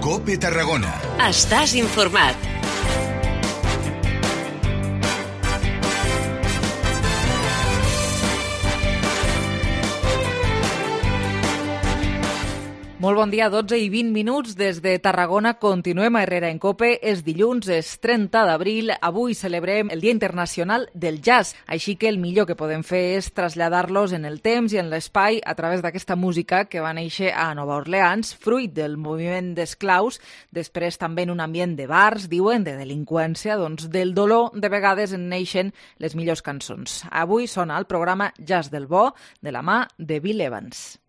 COPE Tarragona. Estàs informat. Molt bon dia, 12 i 20 minuts des de Tarragona. Continuem a Herrera en COPE. És dilluns, és 30 d'abril. Avui celebrem el Dia Internacional del Jazz. Així que el millor que podem fer és traslladar-los en el temps i en l'espai a través d'aquesta música que va néixer a Nova Orleans, fruit del moviment d'esclaus, després també en un ambient de bars, diuen, de delinqüència, doncs del dolor de vegades en neixen les millors cançons. Avui sona el programa Jazz del Bo de la mà de Bill Evans.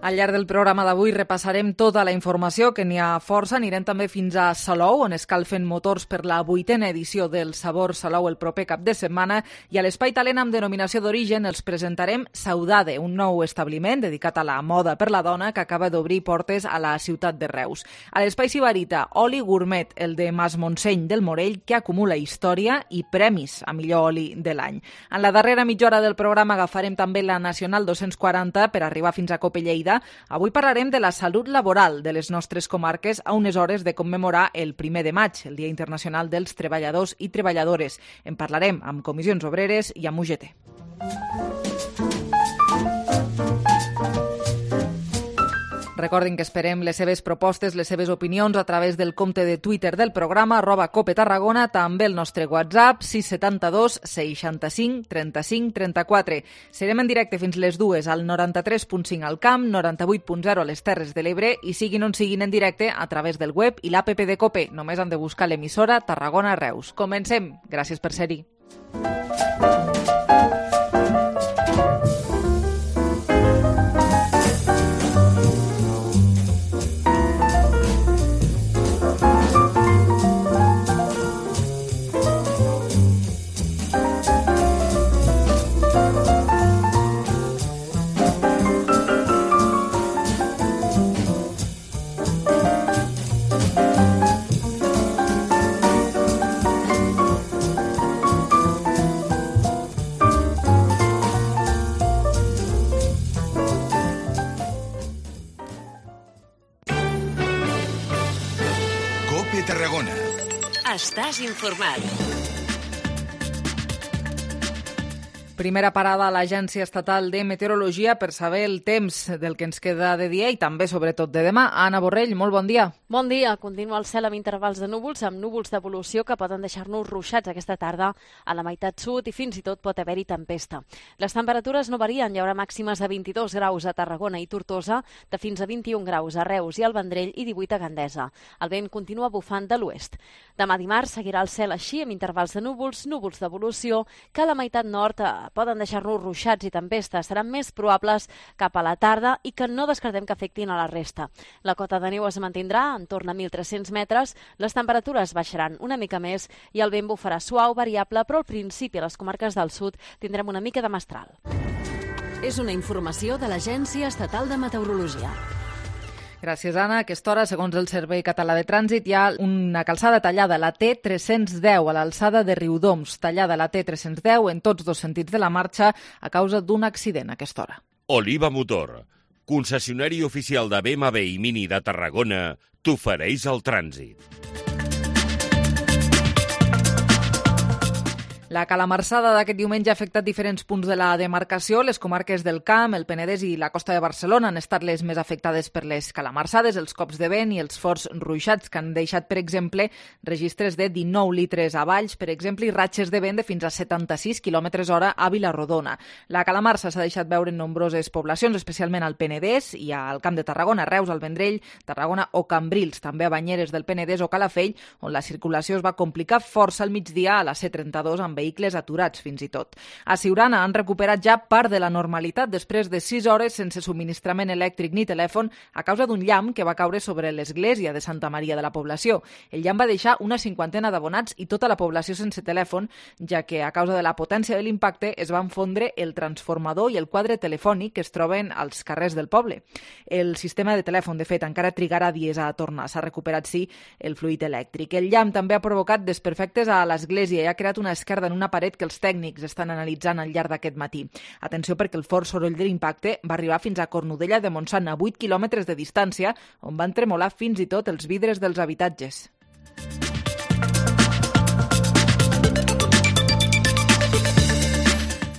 Al llarg del programa d'avui repassarem tota la informació, que n'hi ha força. Anirem també fins a Salou, on escalfen motors per la 8a edició del Sabor Salou el proper cap de setmana. I a l'Espai Talent amb denominació d'origen els presentarem Saudade, un nou establiment dedicat a la moda per la dona que acaba d'obrir portes a la ciutat de Reus. A l'Espai Sibarita, oli gourmet, el de Mas Montseny del Morell, que acumula història i premis a millor oli de l'any. En la darrera mitja hora del programa agafarem també la Nacional 240 per arribar fins a Cope Lleida. Avui parlarem de la salut laboral de les nostres comarques a unes hores de commemorar el 1 de maig, el Dia Internacional dels Treballadors i Treballadores. En parlarem amb comissions obreres i amb UGT. Recordin que esperem les seves propostes, les seves opinions a través del compte de Twitter del programa, @COPETarragona, també el nostre WhatsApp, 672 65 35 34. Serem en directe fins les 2 al 93.5 al Camp, 98.0 a les Terres de l'Ebre i siguin on siguin en directe a través del web i l'APP de COPE. Només han de buscar l'emissora Tarragona Reus. Comencem. Gràcies per ser-hi. COPE Tarragona. Estàs informat. Primera parada a l'Agència Estatal de Meteorologia per saber el temps del que ens queda de dia i també, sobretot, de demà. Anna Borrell, molt bon dia. Bon dia. Continua el cel amb intervals de núvols, amb núvols d'evolució que poden deixar-nos ruixats aquesta tarda a la meitat sud i fins i tot pot haver-hi tempesta. Les temperatures no varien. Hi haurà màximes de 22 graus a Tarragona i Tortosa, de fins a 21 graus a Reus i al Vendrell i 18 a Gandesa. El vent continua bufant de l'oest. Demà dimarts seguirà el cel així, amb intervals de núvols, núvols d'evolució, que a la meitat nord poden deixar-nos ruixats i tempestes. Seran més probables cap a la tarda i que no descartem que afectin a la resta. La cota de neu es mantindrà entorn a 1.300 metres, les temperatures baixaran una mica més i el vent bufarà suau, variable, però al principi a les comarques del sud tindrem una mica de mestral. És una informació de l'Agència Estatal de Meteorologia. Gràcies, Anna. A aquesta hora, segons el Servei Català de Trànsit, hi ha una calçada tallada, la T310, a l'alçada de Riudoms. Tallada la T310 en tots dos sentits de la marxa a causa d'un accident a aquesta hora. Oliva Motor, concessionari oficial de BMW i Mini de Tarragona, t'ofereix el trànsit. La calamarsada d'aquest diumenge ha afectat diferents punts de la demarcació. Les comarques del Camp, el Penedès i la costa de Barcelona han estat les més afectades per les calamarsades, els cops de vent i els forts ruixats que han deixat, per exemple, registres de 19 litres a Valls, per exemple, i ratxes de vent de fins a 76 km/h a Vilarrodona. La calamarsa s'ha deixat veure en nombroses poblacions, especialment al Penedès i al Camp de Tarragona, Reus, al Vendrell, Tarragona o Cambrils, també a Banyeres del Penedès o Calafell, on la circulació es va complicar força al migdia a la C32 amb vehicles aturats fins i tot. A Siurana han recuperat ja part de la normalitat després de 6 hores sense subministrament elèctric ni telèfon a causa d'un llamp que va caure sobre l'església de Santa Maria de la població. El llamp va deixar una 50 d'abonats i tota la població sense telèfon, ja que a causa de la potència de l'impacte es van fondre el transformador i el quadre telefònic que es troben als carrers del poble. El sistema de telèfon, de fet, encara trigarà dies a tornar. S'ha recuperat, sí, el fluid elèctric. El llamp també ha provocat desperfectes a l'església i ha creat una esquerda en una paret que els tècnics estan analitzant al llarg d'aquest matí. Atenció, perquè el fort soroll de l'impacte va arribar fins a Cornudella de Montsant, a 8 quilòmetres de distància, on van tremolar fins i tot els vidres dels habitatges.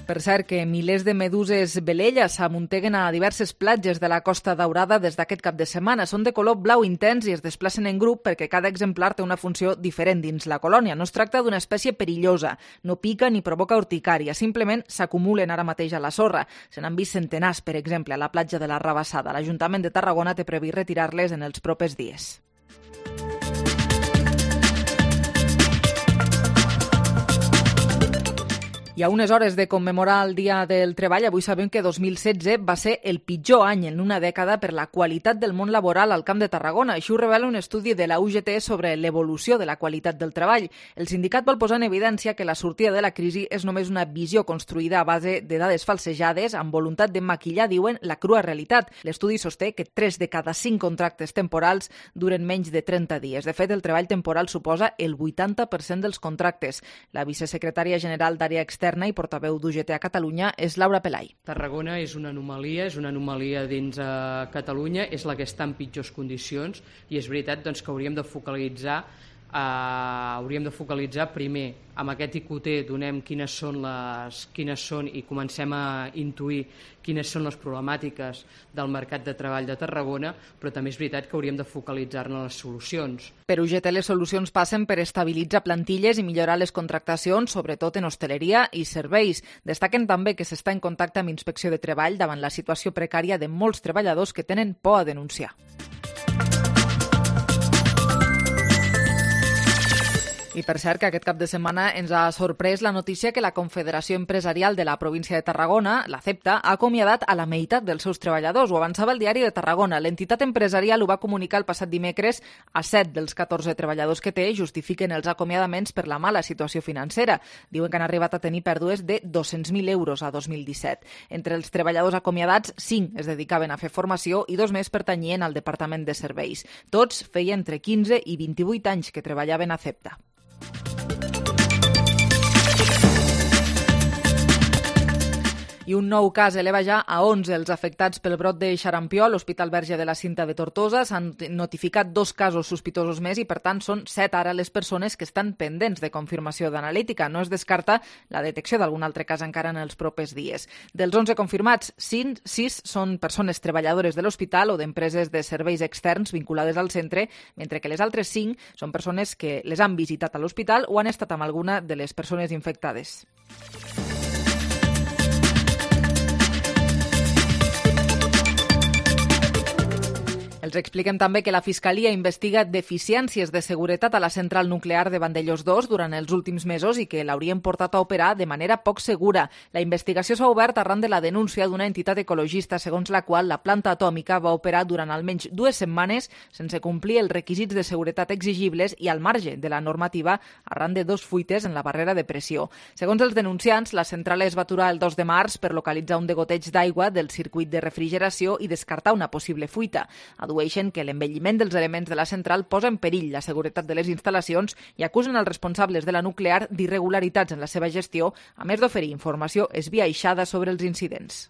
Per cert, que milers de meduses velella s'amunteguen a diverses platges de la Costa Daurada des d'aquest cap de setmana. Són de color blau intens i es desplacen en grup perquè cada exemplar té una funció diferent dins la colònia. No es tracta d'una espècie perillosa, no pica ni provoca urticària, simplement s'acumulen ara mateix a la sorra. Se n'han vist centenars, per exemple, a la platja de la Rabassada. L'Ajuntament de Tarragona té previst retirar-les en els propers dies. I a unes hores de commemorar el Dia del Treball, avui sabem que 2016 va ser el pitjor any en una dècada per la qualitat del món laboral al Camp de Tarragona. Això ho revela un estudi de la UGT sobre l'evolució de la qualitat del treball. El sindicat vol posar en evidència que la sortida de la crisi és només una visió construïda a base de dades falsejades amb voluntat de maquillar, diuen, la crua realitat. L'estudi sosté que 3 de cada 5 contractes temporals duren menys de 30 dies. De fet, el treball temporal suposa el 80% dels contractes. La vicesecretària general d'Àrea Externa i portaveu d'UGT a Catalunya és Laura Pelai. Tarragona és una anomalia dins Catalunya, és la que està en pitjors condicions i és veritat doncs, que hauríem de focalitzar primer amb aquest IQT, donem quines són i comencem a intuir quines són les problemàtiques del mercat de treball de Tarragona, però també és veritat que hauríem de focalitzar-ne les solucions. Per UGT les solucions passen per estabilitzar plantilles i millorar les contractacions, sobretot en hostaleria i serveis. Destaquen també que s'està en contacte amb Inspecció de Treball davant la situació precària de molts treballadors que tenen por a denunciar. I per cert que aquest cap de setmana ens ha sorprès la notícia que la Confederació Empresarial de la província de Tarragona, la CEPTA, ha acomiadat a la meitat dels seus treballadors. Ho avançava el Diari de Tarragona. L'entitat empresarial ho va comunicar el passat dimecres a 7 dels 14 treballadors que té, justifiquen els acomiadaments per la mala situació financera. Diuen que han arribat a tenir pèrdues de 200.000 euros a 2017. Entre els treballadors acomiadats, 5 es dedicaven a fer formació i 2 més pertanyien al Departament de Serveis. Tots feien entre 15 i 28 anys que treballaven a CEPTA. I un nou cas eleva ja a 11 els afectats pel brot de xarampió a l'Hospital Verge de la Cinta de Tortosa. S'han notificat 2 casos sospitosos més i, per tant, són 7 ara les persones que estan pendents de confirmació d'analítica. No es descarta la detecció d'algun altre cas encara en els propers dies. Dels 11 confirmats, 6 són persones treballadores de l'hospital o d'empreses de serveis externs vinculades al centre, mentre que les altres 5 són persones que les han visitat a l'hospital o han estat amb alguna de les persones infectades. Els expliquem també que la Fiscalia investiga deficiències de seguretat a la central nuclear de Vandellòs 2 durant els últims mesos i que l'haurien portat a operar de manera poc segura. La investigació s'ha obert arran de la denúncia d'una entitat ecologista segons la qual la planta atòmica va operar durant almenys 2 setmanes sense complir els requisits de seguretat exigibles i al marge de la normativa arran de 2 fuites en la barrera de pressió. Segons els denunciants, la central es va aturar el 2 de març per localitzar un degoteig d'aigua del circuit de refrigeració i descartar una possible fuita. Adueixen que l'envelliment dels elements de la central posa en perill la seguretat de les instal·lacions i acusen els responsables de la nuclear d'irregularitats en la seva gestió, a més d'oferir informació esbiaixada sobre els incidents.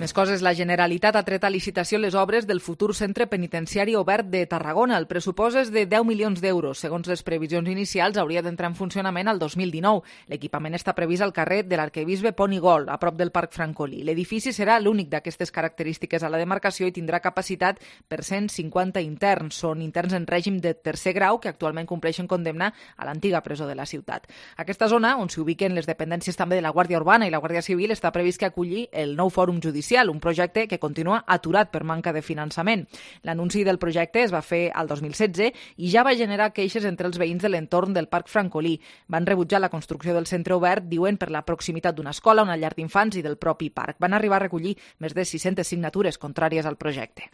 Més coses, la Generalitat ha tret a licitació les obres del futur centre penitenciari obert de Tarragona. El pressupost és de 10 milions d'euros. Segons les previsions inicials, hauria d'entrar en funcionament al 2019. L'equipament està previst al carrer de l'Arquebisbe Ponigol, a prop del Parc Francolí. L'edifici serà l'únic d'aquestes característiques a la demarcació i tindrà capacitat per 150 interns. Són interns en règim de tercer grau que actualment compleixen condemna a l'antiga presó de la ciutat. Aquesta zona, on s'hi ubiquen les dependències també de la Guàrdia Urbana i la Guàrdia Civil, està previst que aculli el nou fòrum judicial, un projecte que continua aturat per manca de finançament. L'anunci del projecte es va fer al 2016 i ja va generar queixes entre els veïns de l'entorn del Parc Francolí. Van rebutjar la construcció del centre obert, diuen, per la proximitat d'una escola, una llar d'infants i del propi parc. Van arribar a recollir més de 600 signatures contràries al projecte.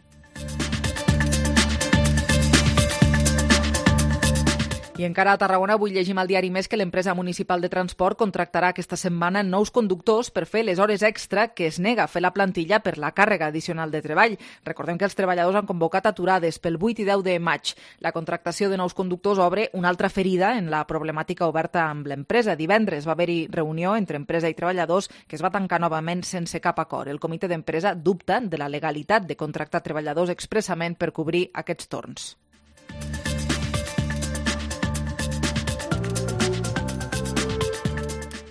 I encara a Tarragona avui llegim al diari Més que l'empresa municipal de transport contractarà aquesta setmana nous conductors per fer les hores extra que es nega a fer la plantilla per la càrrega addicional de treball. Recordem que els treballadors han convocat aturades pel 8 i 10 de maig. La contractació de nous conductors obre una altra ferida en la problemàtica oberta amb l'empresa. Divendres va haver-hi reunió entre empresa i treballadors que es va tancar novament sense cap acord. El comitè d'empresa dubta de la legalitat de contractar treballadors expressament per cobrir aquests torns.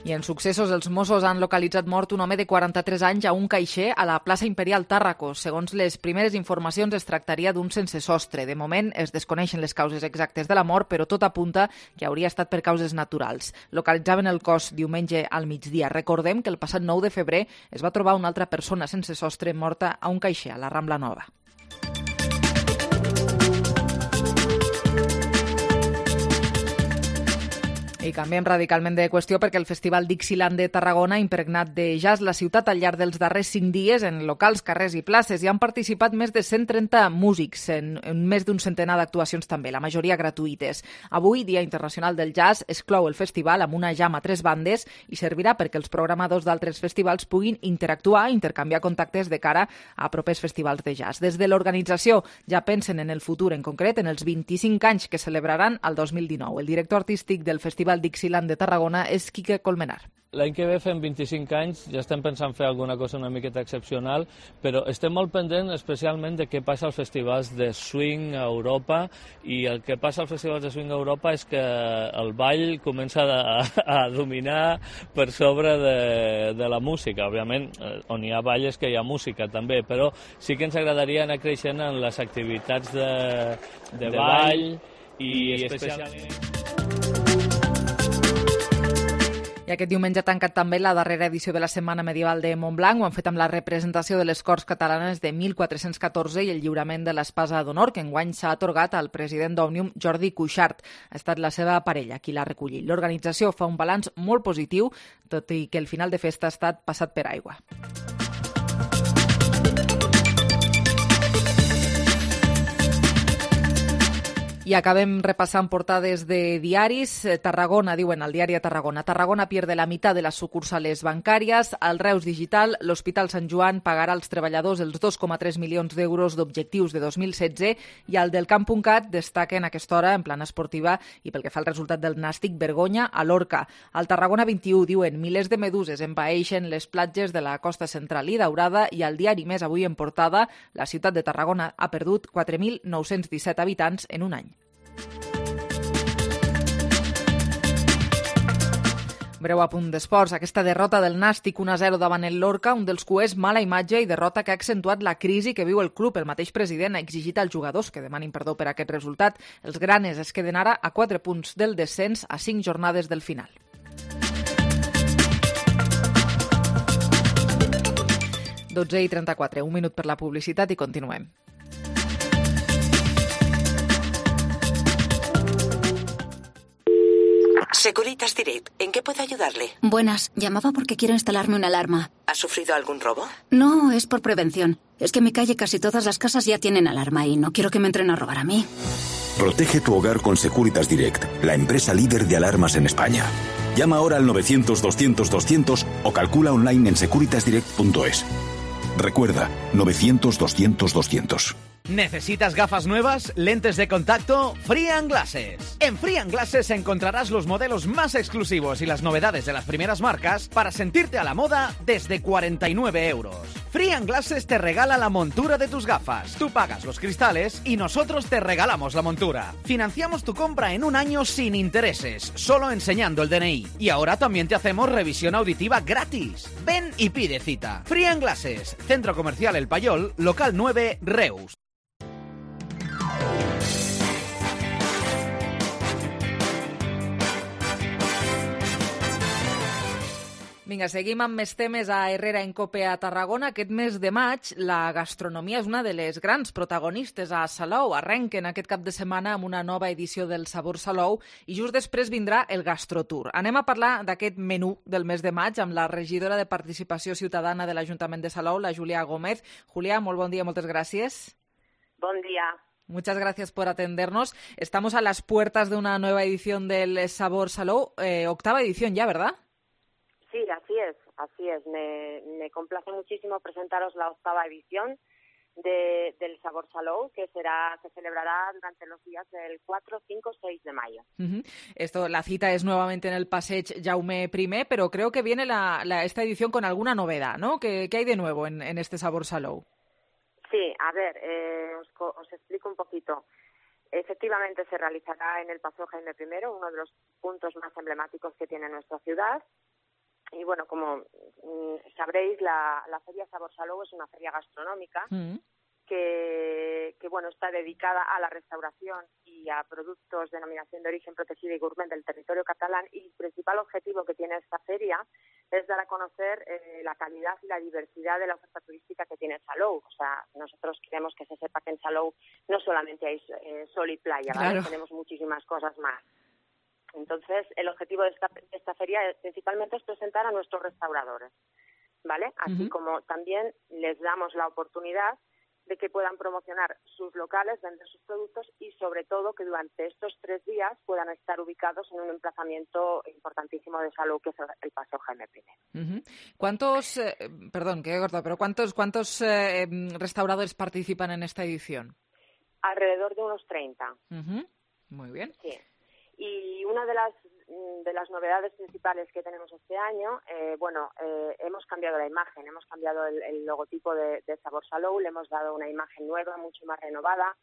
I en successos, els Mossos han localitzat mort un home de 43 anys a un caixer a la plaça Imperial Tàrraco. Segons les primeres informacions, es tractaria d'un sense sostre. De moment es desconeixen les causes exactes de la mort, però tot apunta que hauria estat per causes naturals. Localitzaven el cos diumenge al migdia. Recordem que el passat 9 de febrer es va trobar una altra persona sense sostre morta a un caixer a la Rambla Nova. I canviem radicalment de qüestió perquè el Festival Dixieland de Tarragona ha impregnat de jazz la ciutat al llarg dels darrers 5 dies en locals, carrers i places. Hi han participat més de 130 músics en més d'un centenar d'actuacions també, la majoria gratuïtes. Avui, Dia Internacional del Jazz, es clou el festival amb una jam a 3 bandes i servirà perquè els programadors d'altres festivals puguin interactuar i intercanviar contactes de cara a propers festivals de jazz. Des de l'organització ja pensen en el futur, en concret en els 25 anys que celebraran el 2019. El director artístic del Festival Dixieland de Tarragona és Quique Colmenar. L'any que ve fem 25 anys, ja estem pensant fer alguna cosa una miqueta excepcional, però estem molt pendents especialment de què passa als festivals de swing a Europa, i el que passa als festivals de swing a Europa és que el ball comença a dominar per sobre de la música. Òbviament, on hi ha ball és que hi ha música també, però sí que ens agradaria anar creixent en les activitats de ball i especialment... I aquest diumenge ha tancat també la darrera edició de la Setmana Medieval de Montblanc. Ho han fet amb la representació de les Corts Catalanes de 1414 i el lliurament de l'Espasa d'Honor, que enguany s'ha atorgat al president d'Òmnium, Jordi Cuixart. Ha estat la seva parella qui l'ha recollit. L'organització fa un balanç molt positiu, tot i que el final de festa ha estat passat per aigua. I acabem repassant portades de diaris. Tarragona, diuen al diari de Tarragona. Tarragona pierde la mitad de las sucursales bancàries. Al Reus Digital, l'Hospital Sant Joan pagarà als treballadors els 2,3 milions d'euros d'objectius de 2016 i al del Camp.cat destaquen a aquesta hora en plana esportiva i pel que fa al resultat del Nàstic, vergonya a l'Orca. Al Tarragona 21 diuen milers de meduses envaeixen les platges de la costa central i Daurada i al diari Més avui en portada la ciutat de Tarragona ha perdut 4.917 habitants en un any. Breu apunt d'esports. Aquesta derrota del Nàstic 1-0 davant el Lorca, un dels cuers mala imatge i derrota que ha accentuat la crisi que viu el club. El mateix president ha exigit als jugadors que demanin perdó per aquest resultat. Els granes es queden ara a 4 punts del descens a 5 jornades del final. Dotze i 34, un minut per la publicitat i continuem. Securitas Direct, ¿en qué puedo ayudarle? Buenas, llamaba porque quiero instalarme una alarma. ¿Ha sufrido algún robo? No, es por prevención. Es que en mi calle casi todas las casas ya tienen alarma y no quiero que me entren a robar a mí. Protege tu hogar con Securitas Direct, la empresa líder de alarmas en España. Llama ahora al 900-200-200 o calcula online en securitasdirect.es. Recuerda, 900-200-200. ¿Necesitas gafas nuevas? ¿Lentes de contacto? Free & Glasses. En Free & Glasses encontrarás los modelos más exclusivos y las novedades de las primeras marcas para sentirte a la moda desde 49 euros. Free Glasses te regala la montura de tus gafas. Tú pagas los cristales y nosotros te regalamos la montura. Financiamos tu compra en un año sin intereses, solo enseñando el DNI. Y ahora también te hacemos revisión auditiva gratis. Ven y pide cita. Free Glasses, Centro Comercial El Payol, local 9, Reus. Vinga, seguim amb més temes a Herrera en Cope a Tarragona. Aquest mes de maig, la gastronomia és una de les grans protagonistes a Salou. Arrenquen aquest cap de setmana amb una nova edició del Sabor Salou i just després vindrà el Gastrotour. Anem a parlar d'aquest menú del mes de maig amb la regidora de Participació Ciutadana de l'Ajuntament de Salou, la Julia Gómez. Julia, molt bon dia, moltes gràcies. Bon día. Muchas gracias por atendernos. Estamos a las puertas de una nueva edición del Sabor Salou, octava edición ya, ¿verdad? Sí, así es. Me complace muchísimo presentaros la octava edición del Sabor Salou, que se celebrará durante los días del 4, 5, 6 de mayo. La cita es nuevamente en el Passeig Jaume I, pero creo que viene esta edición con alguna novedad, ¿no? ¿Qué hay de nuevo en este Sabor Salou? Sí, a ver, os explico un poquito. Efectivamente se realizará en el Paseo Jaime I, uno de los puntos más emblemáticos que tiene nuestra ciudad. Y bueno, como sabréis, la Feria Sabor Salou es una feria gastronómica que bueno, está dedicada a la restauración y a productos de denominación de origen protegida y gourmet del territorio catalán, y el principal objetivo que tiene esta feria es dar a conocer la calidad y la diversidad de la oferta turística que tiene Salou. O sea, nosotros queremos que se sepa que en Salou no solamente hay sol y playa, ¿vale? Claro. Tenemos muchísimas cosas más. Entonces, el objetivo de esta feria principalmente es presentar a nuestros restauradores, ¿vale? Así como también les damos la oportunidad de que puedan promocionar sus locales, vender sus productos y, sobre todo, que durante estos 3 días puedan estar ubicados en un emplazamiento importantísimo de Salou, que es el Paseo Jaime I. ¿Cuántos, perdón, que he cortado, pero cuántos restauradores participan en esta edición? Alrededor de unos 30. Muy bien. Sí. Y una de las novedades principales que tenemos este año, hemos cambiado la imagen, hemos cambiado el logotipo de Sabor Salou, le hemos dado una imagen nueva, mucho más renovada.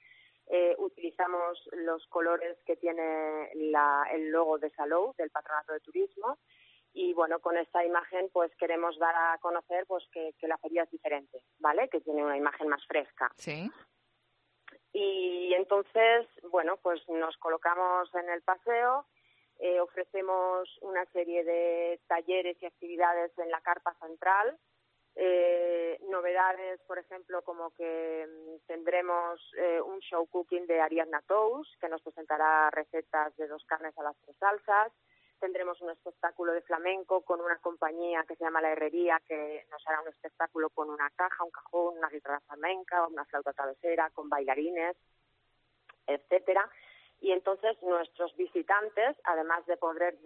Utilizamos los colores que tiene el logo de Salou, del Patronato de Turismo, y bueno, con esta imagen pues queremos dar a conocer pues que la feria es diferente, ¿vale? Que tiene una imagen más fresca. Sí. Y entonces, bueno, pues nos colocamos en el paseo, ofrecemos una serie de talleres y actividades en la carpa central, novedades, por ejemplo, como que tendremos un show cooking de Ariadna Tous, que nos presentará recetas de 2 carnes a las 3 salsas. Tendremos un espectáculo de flamenco con una compañía que se llama La Herrería, que nos hará un espectáculo con una caja, un cajón, una guitarra flamenca, una flauta travesera, con bailarines, etcétera. Y entonces nuestros visitantes, además de poder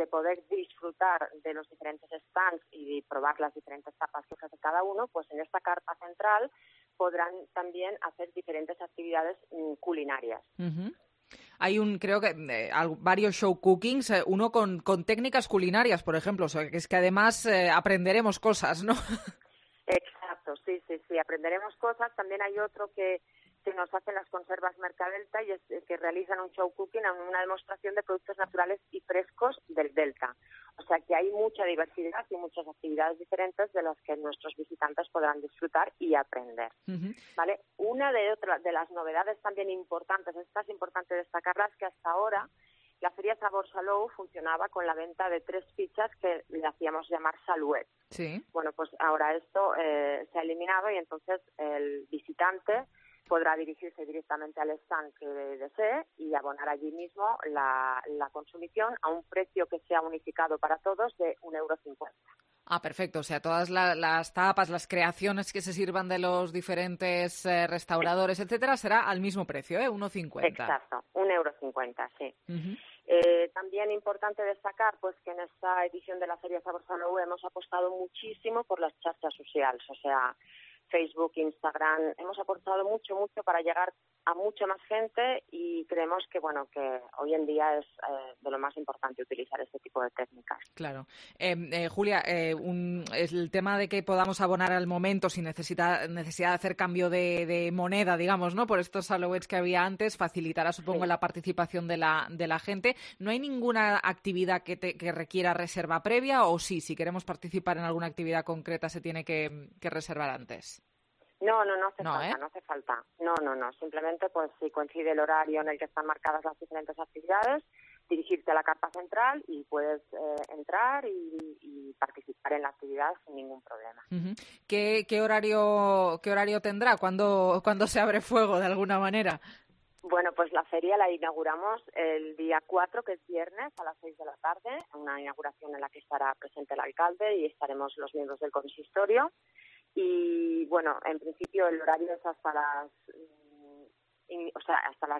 disfrutar de los diferentes stands y probar las diferentes tapas que ofrece cada uno, pues en esta carpa central podrán también hacer diferentes actividades culinarias. Hay creo que varios show cookings, uno con técnicas culinarias, por ejemplo, o sea, que es que además aprenderemos cosas, ¿no? Exacto, sí, aprenderemos cosas. También hay otro que nos hacen las conservas Mercadelta y es que realizan un show cooking, una demostración de productos naturales y frescos del Delta. O sea que hay mucha diversidad y muchas actividades diferentes de las que nuestros visitantes podrán disfrutar y aprender. ¿Vale? Una de las novedades también importantes, esta es importante destacarla, es que hasta ahora la Feria Sabor Salou funcionaba con la venta de 3 fichas que le hacíamos llamar Saluet. Sí. Bueno, pues ahora esto se ha eliminado y entonces el visitante podrá dirigirse directamente al stand que desee y abonar allí mismo la consumición a un precio que sea unificado para todos de 1,50 €. Ah, perfecto. O sea, todas las tapas, las creaciones que se sirvan de los diferentes restauradores, etcétera, será al mismo precio, 1,50 €. Exacto, 1,50 €, sí. También importante destacar pues que en esta edición de la Feria Sabor Salou hemos apostado muchísimo por las xarxas sociales, o sea, Facebook, Instagram, hemos aportado mucho para llegar a mucha más gente y creemos que bueno que hoy en día es de lo más importante utilizar este tipo de técnicas. Claro. Julia, el tema de que podamos abonar al momento sin necesidad de hacer cambio de moneda, digamos, ¿no? Por estos Alouettes que había antes, facilitará, supongo, la participación de la gente. ¿No hay ninguna actividad que requiera reserva previa o sí, si queremos participar en alguna actividad concreta se tiene que reservar antes? No hace falta. No. Simplemente, pues si coincide el horario en el que están marcadas las diferentes actividades, dirigirte a la carpa central y puedes entrar y participar en la actividad sin ningún problema. Uh-huh. ¿Qué horario tendrá? ¿Cuándo se abre fuego de alguna manera? Bueno, pues la feria la inauguramos el día 4, que es viernes, a las 6 de la tarde, una inauguración en la que estará presente el alcalde y estaremos los miembros del consistorio. Y bueno, en principio el horario es hasta las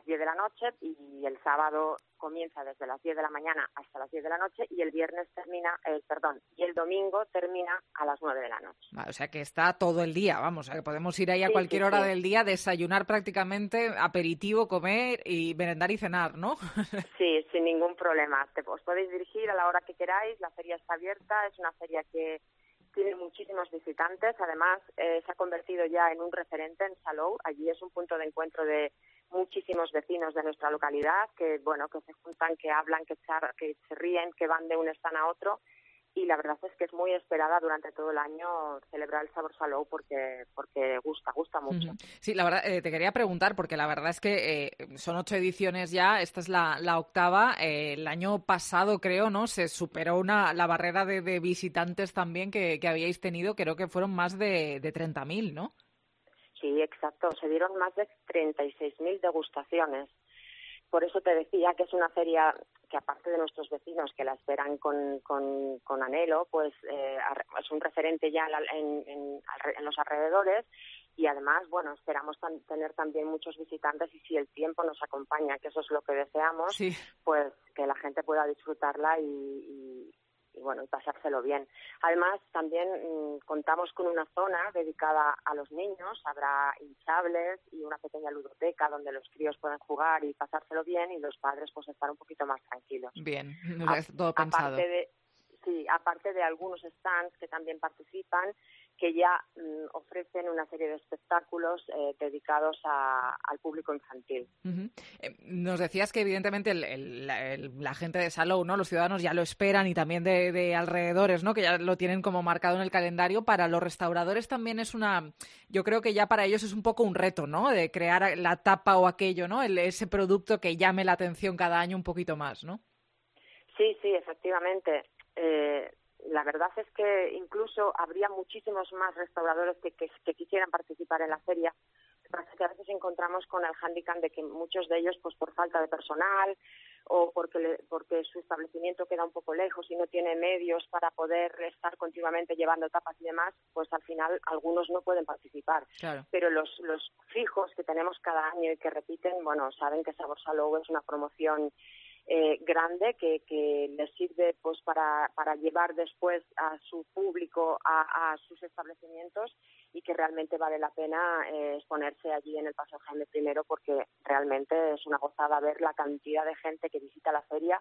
10 de la noche y el sábado comienza desde las 10 de la mañana hasta las 10 de la noche y el domingo termina a las 9 de la noche. O sea que está todo el día, vamos, que podemos ir ahí a cualquier hora del día, desayunar prácticamente, aperitivo, comer y merendar y cenar, ¿no? Sí, sin ningún problema. Os podéis dirigir a la hora que queráis, la feria está abierta, es una feria que tiene muchísimos visitantes, además se ha convertido ya en un referente en Salou. Allí es un punto de encuentro de muchísimos vecinos de nuestra localidad que se juntan, que hablan, que se ríen, que van de un stand a otro. Y la verdad es que es muy esperada durante todo el año celebrar el Sabor Salou porque gusta mucho. Sí, la verdad, te quería preguntar, porque la verdad es que son 8 ediciones ya, esta es la 8ª. El año pasado, creo, ¿no? Se superó la barrera de visitantes también que habíais tenido, creo que fueron más de 30.000, ¿no? Sí, exacto, se dieron más de 36.000 degustaciones. Por eso te decía que es una feria que, aparte de nuestros vecinos que la esperan con anhelo, pues es un referente ya en los alrededores y además, bueno, esperamos tener también muchos visitantes y si el tiempo nos acompaña, que eso es lo que deseamos, sí, pues que la gente pueda disfrutarla y pasárselo bien. Además, también contamos con una zona dedicada a los niños, habrá hinchables y una pequeña ludoteca donde los críos pueden jugar y pasárselo bien y los padres pues estar un poquito más tranquilos. Bien, todo pensado. Aparte de algunos stands que también participan, que ya ofrecen una serie de espectáculos dedicados al público infantil. Uh-huh. Nos decías que evidentemente la gente de Salou, ¿no? Los ciudadanos ya lo esperan y también de alrededores, ¿no? Que ya lo tienen como marcado en el calendario. Para los restauradores también yo creo que ya para ellos es un poco un reto, ¿no? De crear la tapa o aquello, ¿no? Ese producto que llame la atención cada año un poquito más, ¿no? Sí, efectivamente. La verdad es que incluso habría muchísimos más restauradores que quisieran participar en la feria. Lo que pasa es que a veces encontramos con el hándicap de que muchos de ellos, pues por falta de personal o porque su establecimiento queda un poco lejos y no tiene medios para poder estar continuamente llevando tapas y demás, pues al final algunos no pueden participar. Claro. Pero los fijos que tenemos cada año y que repiten, bueno, saben que Sabor Salou es una promoción grande que les sirve pues para llevar después a su público a sus establecimientos y que realmente vale la pena exponerse allí en el Paseo Jaime I porque realmente es una gozada ver la cantidad de gente que visita la feria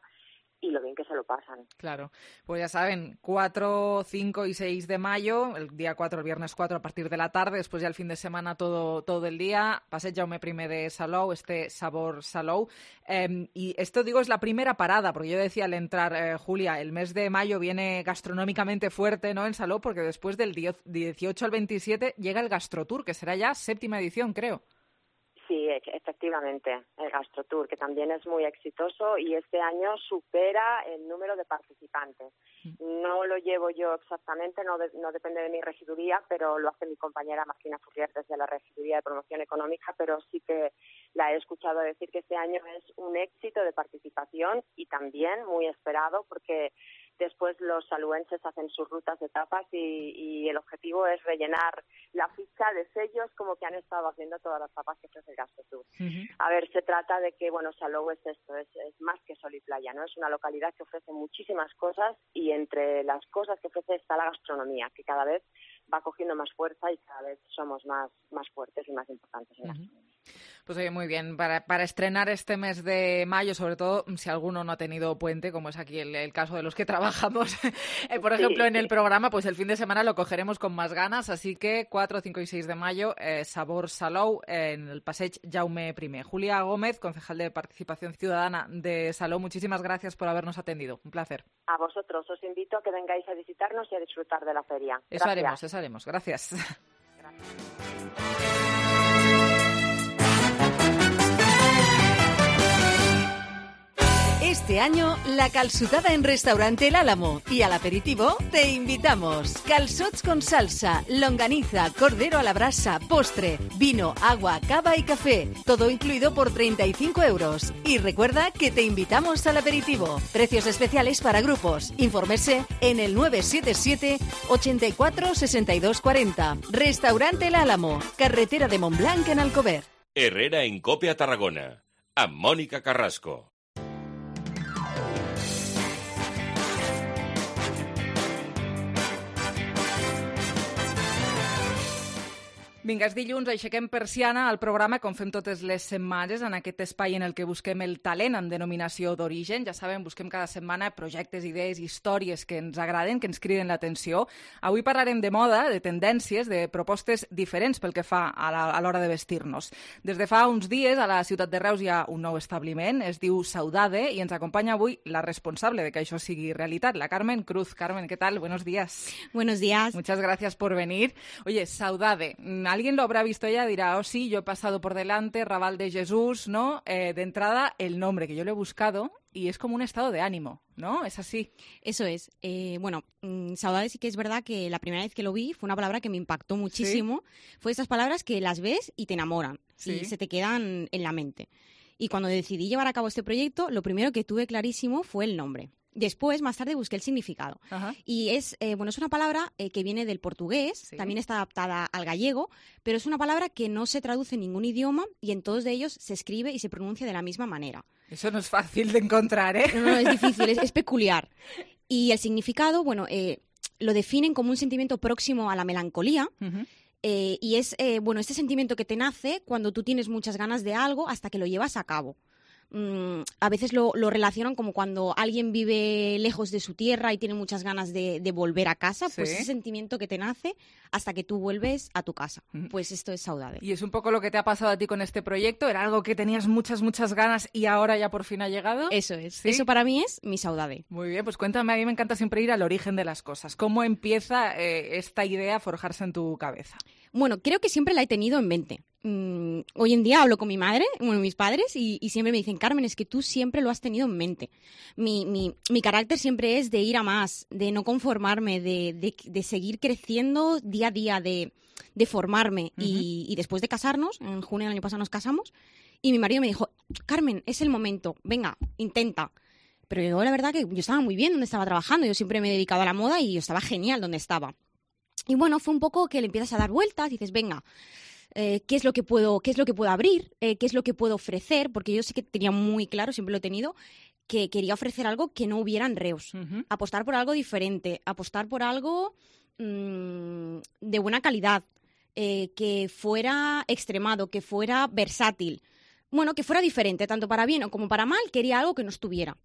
y lo bien que se lo pasan. Claro, pues ya saben, 4, 5 y 6 de mayo, el día 4, el viernes 4 a partir de la tarde, después ya el fin de semana todo el día, Passeig Jaume I de Salou, este Sabor Salou. Y esto, digo, es la primera parada, porque yo decía al entrar, Julia, el mes de mayo viene gastronómicamente fuerte, ¿no?, en Salou, porque después del 18 al 27 llega el Gastrotour, que será ya 7ª edición, creo. Sí, efectivamente, el Gastrotour, que también es muy exitoso y este año supera el número de participantes. No lo llevo yo exactamente, no depende de mi regiduría, pero lo hace mi compañera Martina Furrier desde la Regiduría de Promoción Económica, pero sí que la he escuchado decir que este año es un éxito de participación y también muy esperado porque después los saluenses hacen sus rutas de tapas y el objetivo es rellenar la ficha de sellos como que han estado haciendo todas las tapas que ofrece el Gastrotour. Uh-huh. A ver, se trata de que, bueno, Salou es esto, es más que sol y playa, ¿no? Es una localidad que ofrece muchísimas cosas y entre las cosas que ofrece está la gastronomía, que cada vez va cogiendo más fuerza y cada vez somos más fuertes y más importantes en la gastronomía. Pues oye, muy bien, para estrenar este mes de mayo, sobre todo si alguno no ha tenido puente, como es aquí el caso de los que trabajamos, por ejemplo, en el programa, pues el fin de semana lo cogeremos con más ganas, así que 4, 5 y 6 de mayo, Sabor Salou, en el Passeig Jaume I. Julia Gómez, concejal de Participación Ciudadana de Salou, muchísimas gracias por habernos atendido, un placer. A vosotros os invito a que vengáis a visitarnos y a disfrutar de la feria. Eso haremos, gracias. Este año, la calçotada en Restaurante El Álamo y al aperitivo te invitamos. Calçots con salsa, longaniza, cordero a la brasa, postre, vino, agua, cava y café. Todo incluido por 35 euros. Y recuerda que te invitamos al aperitivo. Precios especiales para grupos. Infórmese en el 977 84 62 40. Restaurante El Álamo, carretera de Montblanc en Alcover. Herrera en Cope a Tarragona, amb Mònica Carrasco. Vinga, és dilluns, aixequem persiana al programa, com fem totes les setmanes, en aquest espai en el que busquem el talent amb denominació d'origen. Ja saben, busquem cada setmana projectes, idees, històries que ens agraden, que ens criden l'atenció. Avui parlarem de moda, de tendències, de propostes diferents pel que fa a l'hora de vestir-nos. Des de fa uns dies, a la ciutat de Reus hi ha un nou establiment, es diu Saudade, i ens acompanya avui la responsable de que això sigui realitat, la Carmen Cruz. Carmen, ¿qué tal? Buenos días. Buenos días. Muchas gracias por venir. Oye, Saudade, alguien lo habrá visto ya, dirá, oh sí, yo he pasado por delante, Raval de Jesús, ¿no? De entrada, el nombre que yo le he buscado y es como un estado de ánimo, ¿no? ¿Es así? Eso es. Saudade sí que es verdad que la primera vez que lo vi fue una palabra que me impactó muchísimo. ¿Sí? Fue esas palabras que las ves y te enamoran, ¿sí? Y se te quedan en la mente. Y cuando decidí llevar a cabo este proyecto, lo primero que tuve clarísimo fue el nombre. Después, más tarde, busqué el significado. Ajá. Y es una palabra que viene del portugués, sí. También está adaptada al gallego, pero es una palabra que no se traduce en ningún idioma y en todos de ellos se escribe y se pronuncia de la misma manera. Eso no es fácil de encontrar, ¿eh? No, es difícil, es peculiar. Y el significado, lo definen como un sentimiento próximo a la melancolía. Uh-huh. Y es, este sentimiento que te nace cuando tú tienes muchas ganas de algo hasta que lo llevas a cabo. A veces lo relacionan como cuando alguien vive lejos de su tierra y tiene muchas ganas de volver a casa, pues ese sentimiento que te nace hasta que tú vuelves a tu casa. Pues esto es Saudade. Y es un poco lo que te ha pasado a ti con este proyecto. ¿Era algo que tenías muchas ganas y ahora ya por fin ha llegado? Eso es. ¿Sí? Eso para mí es mi Saudade. Muy bien, pues cuéntame, a mí me encanta siempre ir al origen de las cosas. ¿Cómo empieza esta idea a forjarse en tu cabeza? Bueno, creo que siempre la he tenido en mente. Hoy en día hablo con mi madre, mis padres, y siempre me dicen, Carmen, es que tú siempre lo has tenido en mente. Mi carácter siempre es de ir a más, de no conformarme, de seguir creciendo día a día, de formarme. Uh-huh. Y después de casarnos, en junio del año pasado nos casamos, y mi marido me dijo, Carmen, es el momento, venga, intenta. Pero yo la verdad que yo estaba muy bien donde estaba trabajando, yo siempre me he dedicado a la moda y yo estaba genial donde estaba. Y bueno, fue un poco que le empiezas a dar vueltas y dices, venga, ¿qué es lo que puedo abrir? ¿Qué es lo que puedo ofrecer? Porque yo sí que tenía muy claro, siempre lo he tenido, que quería ofrecer algo que no hubiera en Reus. Uh-huh. Apostar por algo diferente, apostar por algo de buena calidad, que fuera extremado, que fuera versátil. Bueno, que fuera diferente, tanto para bien o como para mal, quería algo que no estuviera.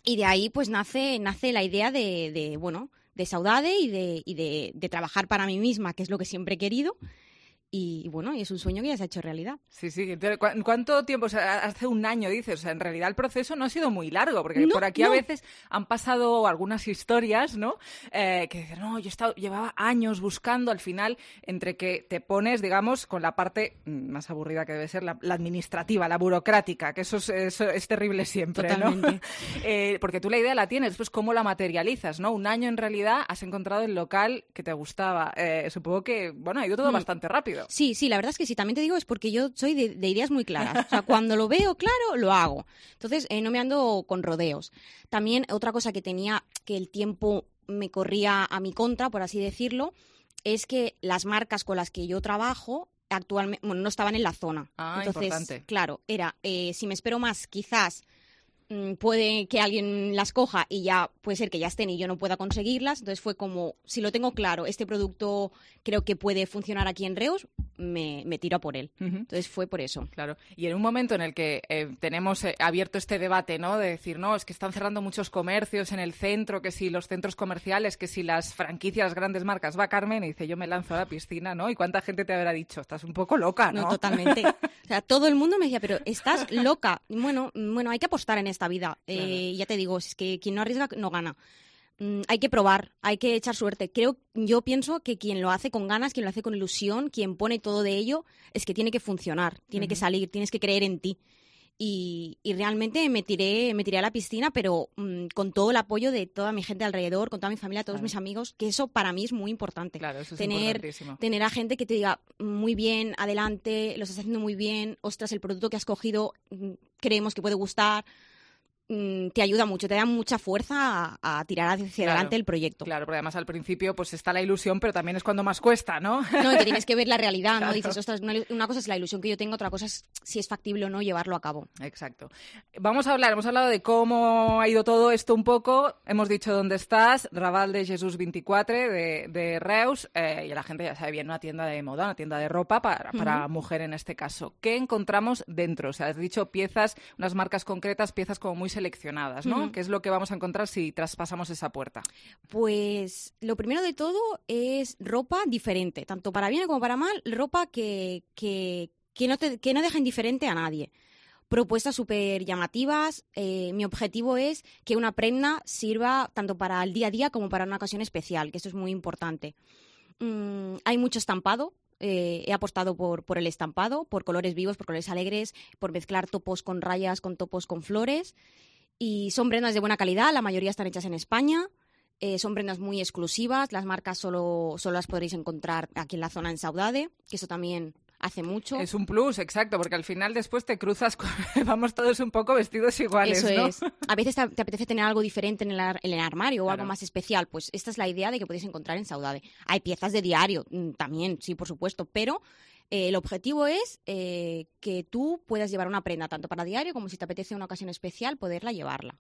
Y de ahí pues nace la idea de Saudade y de trabajar para mí misma, que es lo que siempre he querido. Y bueno, y es un sueño que ya se ha hecho realidad. Sí. ¿Cuánto tiempo? O sea, hace un año, dices. O sea, en realidad el proceso no ha sido muy largo, porque por aquí a veces han pasado algunas historias, ¿no? Que dicen, no, llevaba años buscando, al final, entre que te pones, digamos, con la parte más aburrida que debe ser, la administrativa, la burocrática, que eso es terrible siempre, totalmente, ¿no? Porque tú la idea la tienes, después cómo la materializas, ¿no? Un año en realidad has encontrado el local que te gustaba. Supongo que, ha ido todo bastante rápido. Sí, la verdad es que sí, también te digo, es porque yo soy de ideas muy claras. O sea, cuando lo veo claro, lo hago. Entonces, no me ando con rodeos. También otra cosa que tenía, que el tiempo me corría a mi contra, por así decirlo, es que las marcas con las que yo trabajo actualmente no estaban en la zona. Entonces, importante. Claro, era, si me espero más, quizás puede que alguien las coja y ya puede ser que ya estén y yo no pueda conseguirlas. Entonces fue como, si lo tengo claro, este producto creo que puede funcionar aquí en Reus, me tiro a por él. Entonces fue por eso. Claro. Y en un momento en el que tenemos abierto este debate, ¿no? De decir, no, es que están cerrando muchos comercios en el centro, que si los centros comerciales, que si las franquicias, las grandes marcas, va Carmen y dice, yo me lanzo a la piscina, ¿no? ¿Y cuánta gente te habrá dicho? Estás un poco loca, ¿no? No, totalmente. O sea, todo el mundo me decía, pero estás loca. Bueno, hay que apostar en esta vida. Claro. Ya te digo, es que quien no arriesga no gana. Hay que probar, hay que echar suerte. Yo pienso que quien lo hace con ganas, quien lo hace con ilusión, quien pone todo de ello, es que tiene que funcionar, tiene que salir, tienes que creer en ti. Y realmente me tiré a la piscina, pero con todo el apoyo de toda mi gente alrededor, con toda mi familia, todos mis amigos, que eso para mí es muy importante. Claro, eso es importantísimo. Tener a gente que te diga, muy bien, adelante, lo estás haciendo muy bien, ostras, el producto que has cogido creemos que puede gustar. Te ayuda mucho, te da mucha fuerza a tirar hacia adelante el proyecto. Claro, porque además al principio pues está la ilusión, pero también es cuando más cuesta, ¿no? No, y que tienes que ver la realidad, ¿no? Dices, ostras, una cosa es la ilusión que yo tengo, otra cosa es si es factible o no llevarlo a cabo. Exacto. Hemos hablado de cómo ha ido todo esto un poco, hemos dicho dónde estás, Raval de Jesús 24 de Reus, y la gente ya sabe bien, una tienda de moda, una tienda de ropa para mujer en este caso. ¿Qué encontramos dentro? O sea, has dicho piezas, unas marcas concretas, piezas como muy seleccionadas, ¿no? ¿Qué es lo que vamos a encontrar si traspasamos esa puerta? Pues lo primero de todo es ropa diferente, tanto para bien como para mal, ropa que no deja indiferente a nadie. Propuestas súper llamativas. Mi objetivo es que una prenda sirva tanto para el día a día como para una ocasión especial, que eso es muy importante. Hay mucho estampado. He apostado por el estampado, por colores vivos, por colores alegres, por mezclar topos con rayas, con topos con flores. Y son prendas de buena calidad, la mayoría están hechas en España. Son prendas muy exclusivas, las marcas solo las podréis encontrar aquí en la zona en Saudade, que eso también hace mucho. Es un plus, exacto, porque al final después te cruzas vamos todos un poco vestidos iguales, eso, ¿no? Es. A veces te apetece tener algo diferente en el armario o algo más especial, pues esta es la idea de que podéis encontrar en Saudade. Hay piezas de diario también, sí, por supuesto, pero el objetivo es que tú puedas llevar una prenda tanto para diario como si te apetece una ocasión especial, poderla llevarla.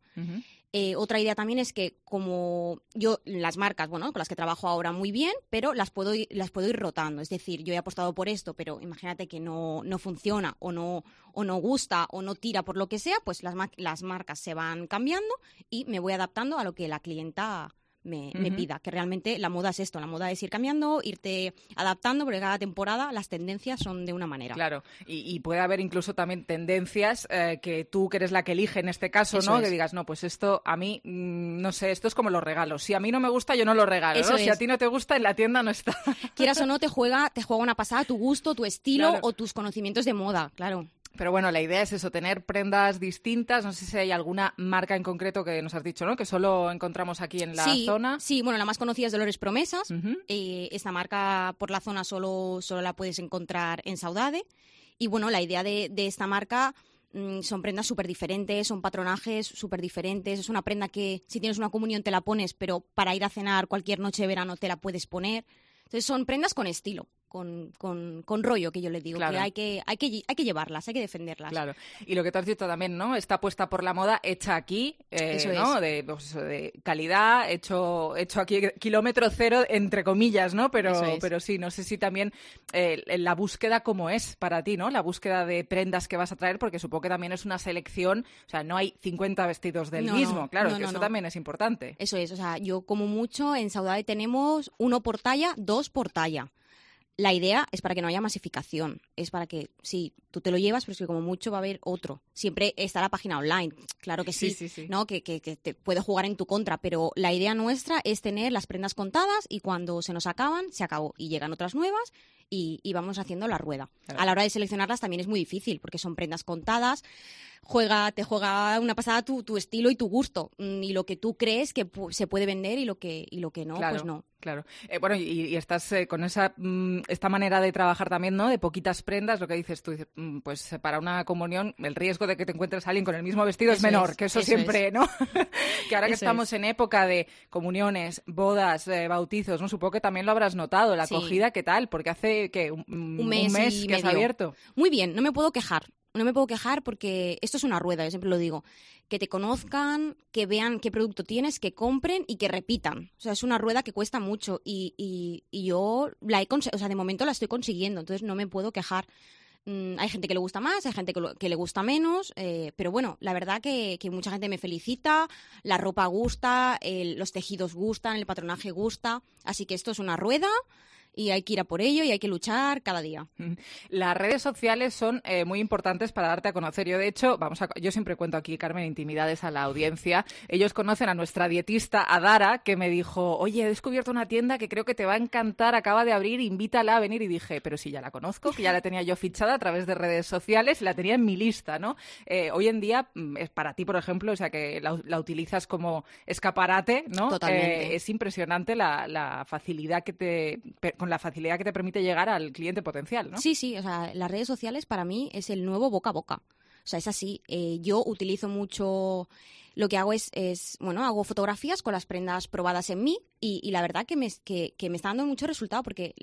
Otra idea también es que como yo, las marcas, bueno, con las que trabajo ahora muy bien, pero las puedo ir rotando. Es decir, yo he apostado por esto, pero imagínate que no funciona o no gusta o no tira por lo que sea, pues las marcas se van cambiando y me voy adaptando a lo que la clienta me pida, que realmente la moda es esto, la moda es ir cambiando, irte adaptando, porque cada temporada las tendencias son de una manera. Claro, y puede haber incluso también tendencias que tú, que eres la que elige en este caso, eso ¿no? Es. Que digas, no, pues esto a mí, no sé, esto es como los regalos. Si a mí no me gusta, yo no lo regalo, ¿no? Si a ti no te gusta, en la tienda no está. Quieras o no, te juega una pasada tu gusto, tu estilo, claro, o tus conocimientos de moda, claro. Pero bueno, la idea es eso, tener prendas distintas. No sé si hay alguna marca en concreto que nos has dicho, ¿no? Que solo encontramos aquí en la zona. Sí, bueno, la más conocida es Dolores Promesas. Esta marca por la zona solo la puedes encontrar en Saudade. Y bueno, la idea de esta marca son prendas súper diferentes, son patronajes súper diferentes. Es una prenda que si tienes una comunión te la pones, pero para ir a cenar cualquier noche de verano te la puedes poner. Entonces son prendas con estilo. Con rollo, que yo le digo, claro, que hay que llevarlas, hay que defenderlas. Claro, y lo que te has dicho también, ¿no? Está puesta por la moda, hecha aquí, ¿no? De calidad, hecho aquí, kilómetro cero, entre comillas, ¿no? Pero sí, no sé si también la búsqueda cómo es para ti, ¿no? La búsqueda de prendas que vas a traer, porque supongo que también es una selección, o sea, no hay 50 vestidos del mismo, claro, que eso también es importante. Eso es, o sea, yo como mucho en Saudade tenemos 1 por talla, 2 por talla. La idea es para que no haya masificación, es para que, sí, tú te lo llevas, pero es que como mucho va a haber otro. Siempre está la página online, claro que sí. ¿No? Que te puede jugar en tu contra, pero la idea nuestra es tener las prendas contadas y cuando se nos acaban, se acabó y llegan otras nuevas y vamos haciendo la rueda. Claro. A la hora de seleccionarlas también es muy difícil porque son prendas contadas. Te juega una pasada tu estilo y tu gusto y lo que tú crees que se puede vender y lo que no, claro, pues no. Claro. Bueno, y estás con esta manera de trabajar también, ¿no? De poquitas prendas, lo que dices tú, pues para una comunión el riesgo de que te encuentres a alguien con el mismo vestido es menor, que eso siempre, ¿no? Que ahora que estamos en época de comuniones, bodas, bautizos, ¿no? Supongo que también lo habrás notado, la acogida, ¿qué tal? Porque hace, ¿qué? Un mes que has abierto. Muy bien, no me puedo quejar. No me puedo quejar porque esto es una rueda, yo siempre lo digo. Que te conozcan, que vean qué producto tienes, que compren y que repitan. O sea, es una rueda que cuesta mucho y yo de momento la estoy consiguiendo, entonces no me puedo quejar. Hay gente que le gusta más, hay gente que le gusta menos, pero bueno, la verdad que mucha gente me felicita, la ropa gusta, los tejidos gustan, el patronaje gusta, así que esto es una rueda y hay que ir a por ello y hay que luchar cada día. Las redes sociales son muy importantes para darte a conocer. Yo, de hecho, yo siempre cuento aquí, Carmen, intimidades a la audiencia. Ellos conocen a nuestra dietista Adara, que me dijo, oye, he descubierto una tienda que creo que te va a encantar, acaba de abrir, invítala a venir. Y dije, pero si ya la conozco, que ya la tenía yo fichada a través de redes sociales, la tenía en mi lista, ¿no? Hoy en día, es para ti, por ejemplo, o sea, que la utilizas como escaparate, ¿no? Totalmente. Es impresionante la facilidad con la facilidad que te permite llegar al cliente potencial, ¿no? Sí, o sea, las redes sociales para mí es el nuevo boca a boca. O sea, es así. Yo utilizo mucho... Lo que hago es hago fotografías con las prendas probadas en mí y la verdad que me está dando mucho resultado porque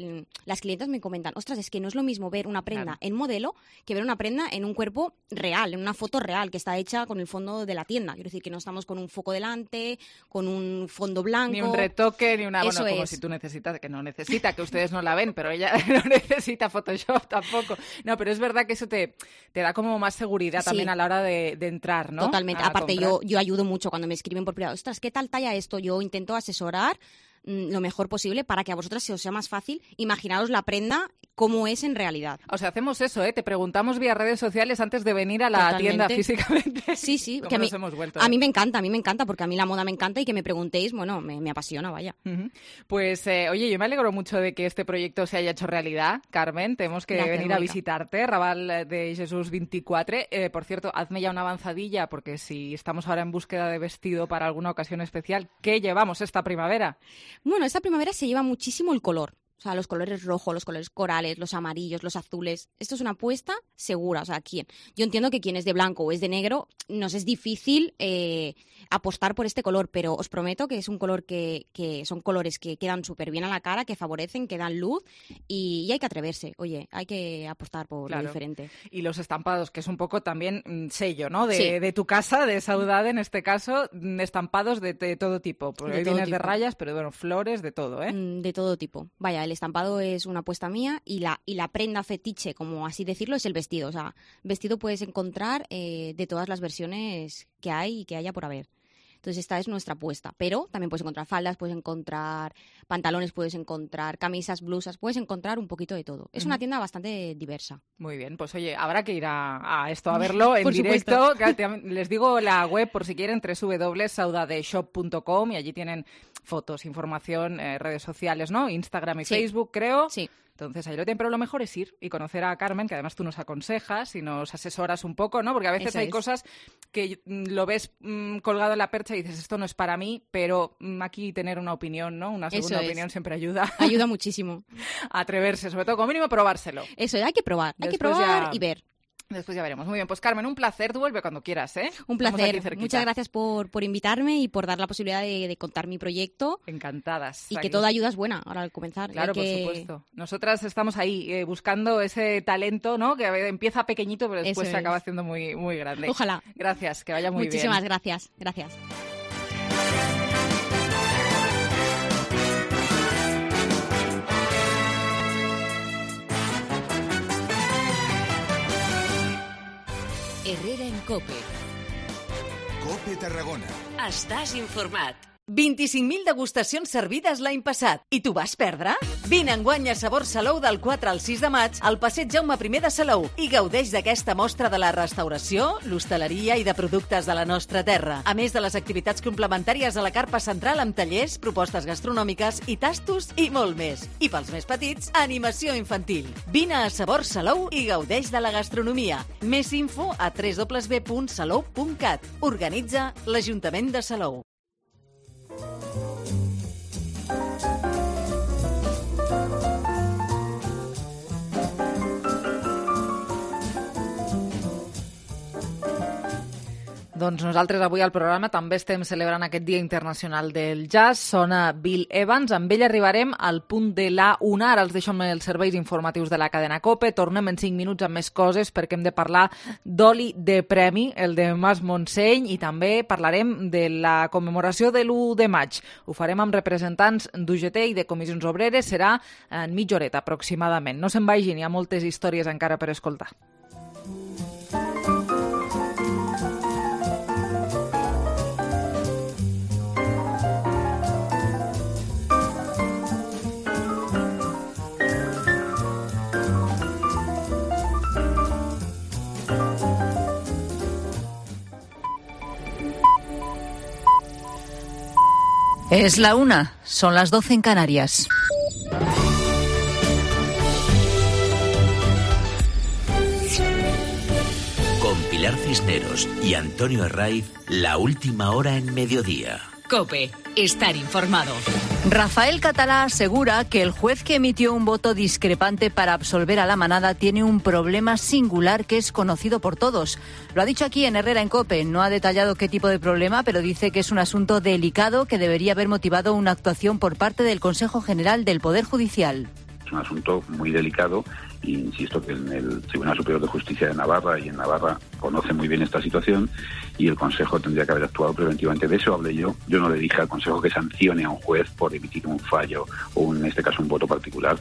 las clientas me comentan, ostras, es que no es lo mismo ver una prenda en modelo que ver una prenda en un cuerpo real, en una foto real que está hecha con el fondo de la tienda. Quiero decir que no estamos con un foco delante, con un fondo blanco. Ni un retoque, ni una... Eso como es. si tú necesitas, que no necesita, que ustedes no la ven, pero ella no necesita Photoshop tampoco. No, pero es verdad que eso te da como más seguridad también a la hora de entrar, ¿no? Totalmente. Aparte, yo ayudo mucho cuando me escriben por privado. Ostras, ¿qué tal talla esto? Yo intento asesorar lo mejor posible para que a vosotras se os sea más fácil imaginaros la prenda como es en realidad. O sea, hacemos eso, te preguntamos vía redes sociales antes de venir a la tienda físicamente. Sí, ¿Cómo que nos hemos vuelto? A mí me encanta, porque a mí la moda me encanta y que me preguntéis, bueno, me apasiona, vaya. Pues, oye, yo me alegro mucho de que este proyecto se haya hecho realidad, Carmen. Tenemos que Gracias, venir Mónica. a visitarte, Raval de Jesús 24. Por cierto, hazme ya una avanzadilla, porque si estamos ahora en búsqueda de vestido para alguna ocasión especial, ¿qué llevamos esta primavera? Bueno, esta primavera se lleva muchísimo el color. O sea, los colores rojos, los colores corales, los amarillos, los azules. Esto es una apuesta segura. O sea, yo entiendo que quien es de blanco o es de negro, nos es difícil apostar por este color, pero os prometo que es un color que son colores que quedan súper bien a la cara, que favorecen, que dan luz y hay que atreverse. Oye, hay que apostar por lo diferente. Y los estampados, que es un poco también sello, ¿no? Sí. De tu casa, de Saudade en este caso, estampados de todo tipo. Porque hoy vienes de rayas, pero bueno, flores, de todo, ¿eh? De todo tipo. Vaya, el estampado es una apuesta mía y la prenda fetiche, como así decirlo, es el vestido. O sea, vestido puedes encontrar de todas las versiones que hay y que haya por haber. Entonces esta es nuestra apuesta, pero también puedes encontrar faldas, puedes encontrar pantalones, puedes encontrar camisas, blusas, puedes encontrar un poquito de todo. Es una tienda bastante diversa. Muy bien, pues oye, habrá que ir a esto a verlo en Por directo. Les digo la web por si quieren, www.saudadeshop.com y allí tienen fotos, información, redes sociales, ¿no? Instagram y Facebook, creo. Sí. Entonces ahí lo tienen, pero lo mejor es ir y conocer a Carmen, que además tú nos aconsejas y nos asesoras un poco, ¿no? Porque a veces Eso hay es. cosas que lo ves colgado en la percha y dices, esto no es para mí, pero aquí tener una opinión, ¿no? Una segunda Eso es. opinión siempre ayuda. Ayuda muchísimo. A atreverse, sobre todo como mínimo probárselo. Eso, hay que probar Después y ver. Después ya veremos. Muy bien, pues Carmen, un placer. Tú vuelve cuando quieras, ¿eh? Un Estamos aquí placer. cerquita. Muchas gracias por invitarme y por dar la posibilidad de contar mi proyecto. Encantadas. Y Aquí. que toda ayuda es buena ahora al comenzar. Claro, por supuesto. Nosotras estamos ahí buscando ese talento, ¿no? Que empieza pequeñito, pero después Eso se acaba es. haciendo muy, muy grande. Ojalá. Gracias, que vaya muy bien. Muchísimas gracias. Gracias. Herrera en COPE. COPE Tarragona. Estàs informat. 25.000 degustacions servides l'any passat. I t'ho vas perdre? Vine enguany a Sabor Salou del 4 al 6 de maig al passeig Jaume I de Salou i gaudeix d'aquesta mostra de la restauració, l'hostaleria i de productes de la nostra terra. A més de les activitats complementàries a la carpa central amb tallers, propostes gastronòmiques i tastos i molt més. I pels més petits, animació infantil. Vine a Sabor Salou i gaudeix de la gastronomia. Més info a www.salou.cat. Organitza l'Ajuntament de Salou. Doncs nosaltres avui al programa també estem celebrant aquest Dia Internacional del Jazz. Sona Bill Evans. Amb ell arribarem al punt de la 1. Ara els deixo amb els serveis informatius de la cadena COPE. Tornem en 5 minuts amb més coses perquè hem de parlar d'oli de premi, el de Mas Montseny, i també parlarem de la commemoració de l'1 de maig. Ho farem amb representants d'UGT i de Comissions Obreres. Serà en mitja horeta aproximadament. No se'n vagin, hi ha moltes històries encara per escoltar. Es la 1, son las 12 en Canarias. Con Pilar Cisneros y Antonio Herraiz, la última hora en mediodía. COPE, estar informado. Rafael Catalá asegura que el juez que emitió un voto discrepante para absolver a la manada tiene un problema singular que es conocido por todos. Lo ha dicho aquí en Herrera en COPE. No ha detallado qué tipo de problema, pero dice que es un asunto delicado que debería haber motivado una actuación por parte del Consejo General del Poder Judicial. Es un asunto muy delicado y insisto que en el Tribunal Superior de Justicia de Navarra y en Navarra conoce muy bien esta situación y el Consejo tendría que haber actuado preventivamente. De eso hablé yo. Yo no le dije al Consejo que sancione a un juez por emitir un fallo o en este caso un voto particular.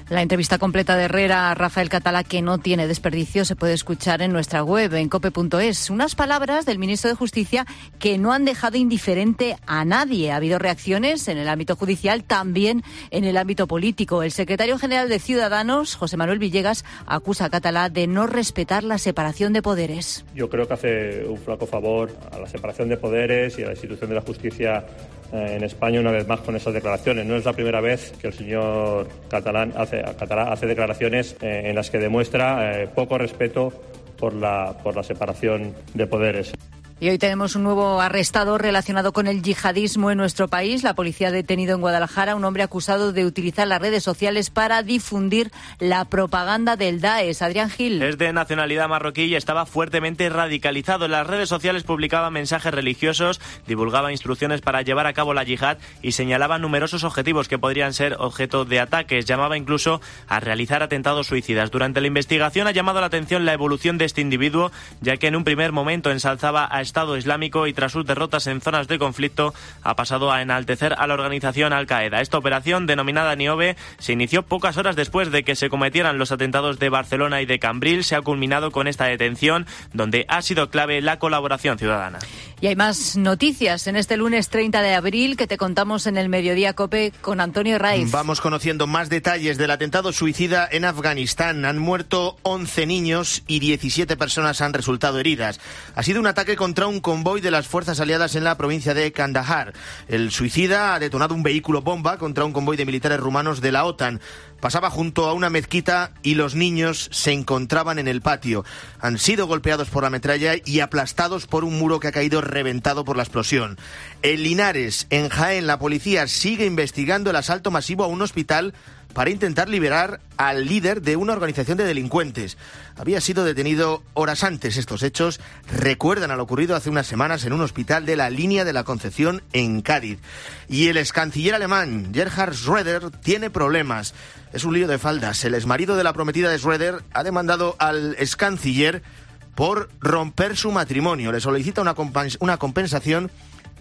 La entrevista completa de Herrera a Rafael Catalá, que no tiene desperdicio, se puede escuchar en nuestra web, en cope.es. Unas palabras del ministro de Justicia que no han dejado indiferente a nadie. Ha habido reacciones en el ámbito judicial, también en el ámbito político. El secretario general de Ciudadanos, José Manuel Villegas, acusa a Catalá de no respetar la separación de poderes. Yo creo que hace un flaco favor a la separación de poderes y a la institución de la justicia en España, una vez más, con esas declaraciones. No es la primera vez que el señor Catalá hace declaraciones en las que demuestra poco respeto por la separación de poderes. Y hoy tenemos un nuevo arrestado relacionado con el yihadismo en nuestro país. La policía ha detenido en Guadalajara a un hombre acusado de utilizar las redes sociales para difundir la propaganda del Daesh. Adrián Gil. Es de nacionalidad marroquí y estaba fuertemente radicalizado. En las redes sociales publicaba mensajes religiosos, divulgaba instrucciones para llevar a cabo la yihad y señalaba numerosos objetivos que podrían ser objeto de ataques. Llamaba incluso a realizar atentados suicidas. Durante la investigación ha llamado la atención la evolución de este individuo, ya que en un primer momento ensalzaba a Estado Islámico y tras sus derrotas en zonas de conflicto ha pasado a enaltecer a la organización Al-Qaeda. Esta operación, denominada Niobe, se inició pocas horas después de que se cometieran los atentados de Barcelona y de Cambrils. Se ha culminado con esta detención, donde ha sido clave la colaboración ciudadana. Y hay más noticias en este lunes 30 de abril que te contamos en el Mediodía COPE con Antonio Herraiz. Vamos conociendo más detalles del atentado suicida en Afganistán. Han muerto 11 niños y 17 personas han resultado heridas. Ha sido un ataque contra un convoy de las fuerzas aliadas en la provincia de Kandahar. El suicida ha detonado un vehículo bomba contra un convoy de militares rumanos de la OTAN. Pasaba junto a una mezquita y los niños se encontraban en el patio. Han sido golpeados por la metralla y aplastados por un muro que ha caído reventado por la explosión. En Linares, en Jaén, la policía sigue investigando el asalto masivo a un hospital para intentar liberar al líder de una organización de delincuentes. Había sido detenido horas antes. Estos hechos recuerdan a lo ocurrido hace unas semanas en un hospital de la Línea de la Concepción en Cádiz. Y el excanciller alemán Gerhard Schröder tiene problemas. Es un lío de faldas. El exmarido de la prometida de Schröder ha demandado al excanciller por romper su matrimonio. Le solicita una compensación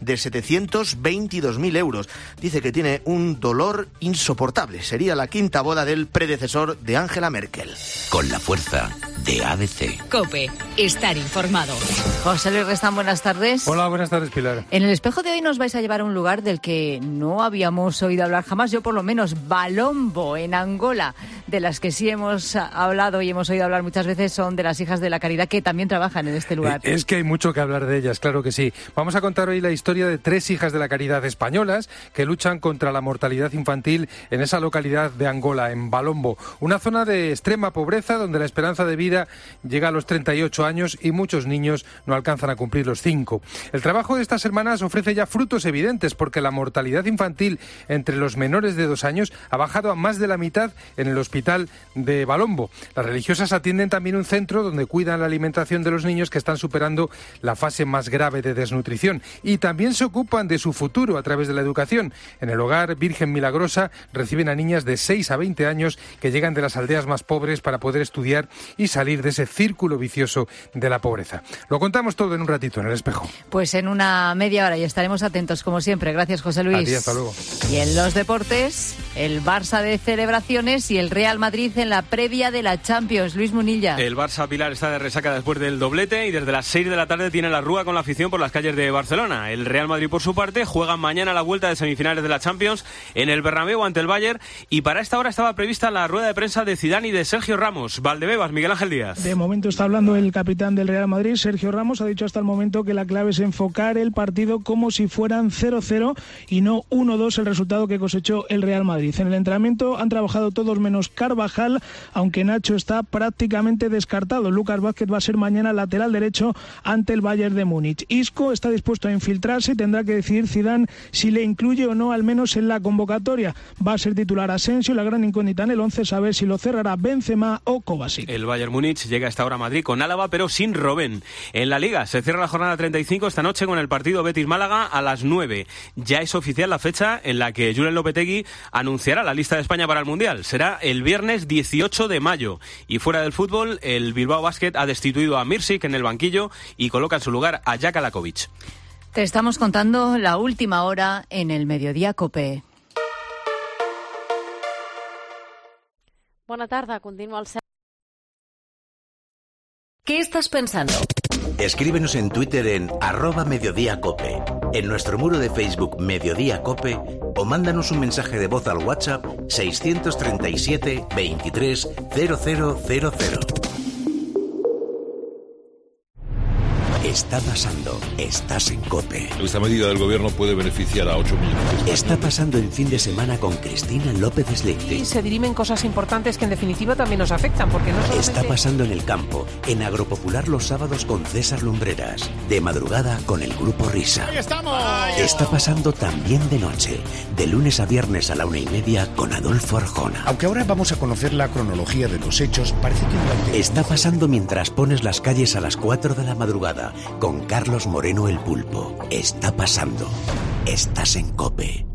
de 722.000 euros. Dice que tiene un dolor insoportable. Sería la quinta boda del predecesor de Angela Merkel. Con la fuerza de ABC. COPE, estar informado. José Luis Restán, buenas tardes. Hola, buenas tardes, Pilar. En el espejo de hoy nos vais a llevar a un lugar del que no habíamos oído hablar jamás, yo por lo menos. Balombo, en Angola, de las que sí hemos hablado y hemos oído hablar muchas veces, son de las Hijas de la Caridad, que también trabajan en este lugar. Es que hay mucho que hablar de ellas, claro que sí. Vamos a contar hoy la historia historia de 3 hijas de la caridad españolas que luchan contra la mortalidad infantil en esa localidad de Angola, en Balombo, una zona de extrema pobreza donde la esperanza de vida llega a los 38 años y muchos niños no alcanzan a cumplir los 5. El trabajo de estas hermanas ofrece ya frutos evidentes porque la mortalidad infantil entre los menores de 2 años ha bajado a más de la mitad en el hospital de Balombo. Las religiosas atienden también un centro donde cuidan la alimentación de los niños que están superando la fase más grave de desnutrición y también se ocupan de su futuro a través de la educación. En el hogar Virgen Milagrosa reciben a niñas de 6 a 20 años que llegan de las aldeas más pobres para poder estudiar y salir de ese círculo vicioso de la pobreza. Lo contamos todo en un ratito en El Espejo. Pues en una media hora y estaremos atentos como siempre. Gracias, José Luis. A ti, hasta luego. Y en los deportes, el Barça de celebraciones y el Real Madrid en la previa de la Champions. Luis Munilla. El Barça Pilar está de resaca después del doblete y desde las 6 de la tarde tiene la rúa con la afición por las calles de Barcelona. El Real Madrid, por su parte, juega mañana la vuelta de semifinales de la Champions en el Bernabéu ante el Bayern y para esta hora estaba prevista la rueda de prensa de Zidane y de Sergio Ramos. Valdebebas, Miguel Ángel Díaz. De momento está hablando el capitán del Real Madrid, Sergio Ramos. Ha dicho hasta el momento que la clave es enfocar el partido como si fueran 0-0 y no 1-2 el resultado que cosechó el Real Madrid. En el entrenamiento han trabajado todos menos Carvajal, aunque Nacho está prácticamente descartado. Lucas Vázquez va a ser mañana lateral derecho ante el Bayern de Múnich. Isco está dispuesto a infiltrarse y tendrá que decidir Zidane si le incluye o no, al menos en la convocatoria. Va a ser titular Asensio, la gran incógnita en el 11, saber si lo cerrará Benzema o Kovacic. El Bayern Múnich llega a esta hora a Madrid con Álava, pero sin Robben. En la Liga se cierra la jornada 35 esta noche con el partido Betis-Málaga a las 9. Ya es oficial la fecha en la que Julen Lopetegui anunciará la lista de España para el Mundial. Será el viernes 18 de mayo. Y fuera del fútbol, el Bilbao Basket ha destituido a Mirsic en el banquillo y coloca en su lugar a Jaka Lakovic. Te estamos contando la última hora en el Mediodía COPE. Bona tarda, continua el... ¿Qué estás pensando? Escríbenos en Twitter en @mediodíacope, en nuestro muro de Facebook Mediodía Cope o mándanos un mensaje de voz al WhatsApp 637 23 0000. Está pasando, estás en COPE. Esta medida del gobierno puede beneficiar a 8 millones de españoles. Está pasando el fin de semana con Cristina López Slichting. Y se dirimen cosas importantes que en definitiva también nos afectan, porque no solamente... Está pasando en el campo, en Agropopular los sábados con César Lumbreras, de madrugada con el Grupo Risa. ¡Ahí estamos! Está pasando también de noche, de lunes a viernes a la 1:30 con Adolfo Arjona. Aunque ahora vamos a conocer la cronología de los hechos, parece que durante... Está pasando mientras pones las calles a las 4 de la madrugada con Carlos Moreno el Pulpo. Está pasando. Estás en COPE.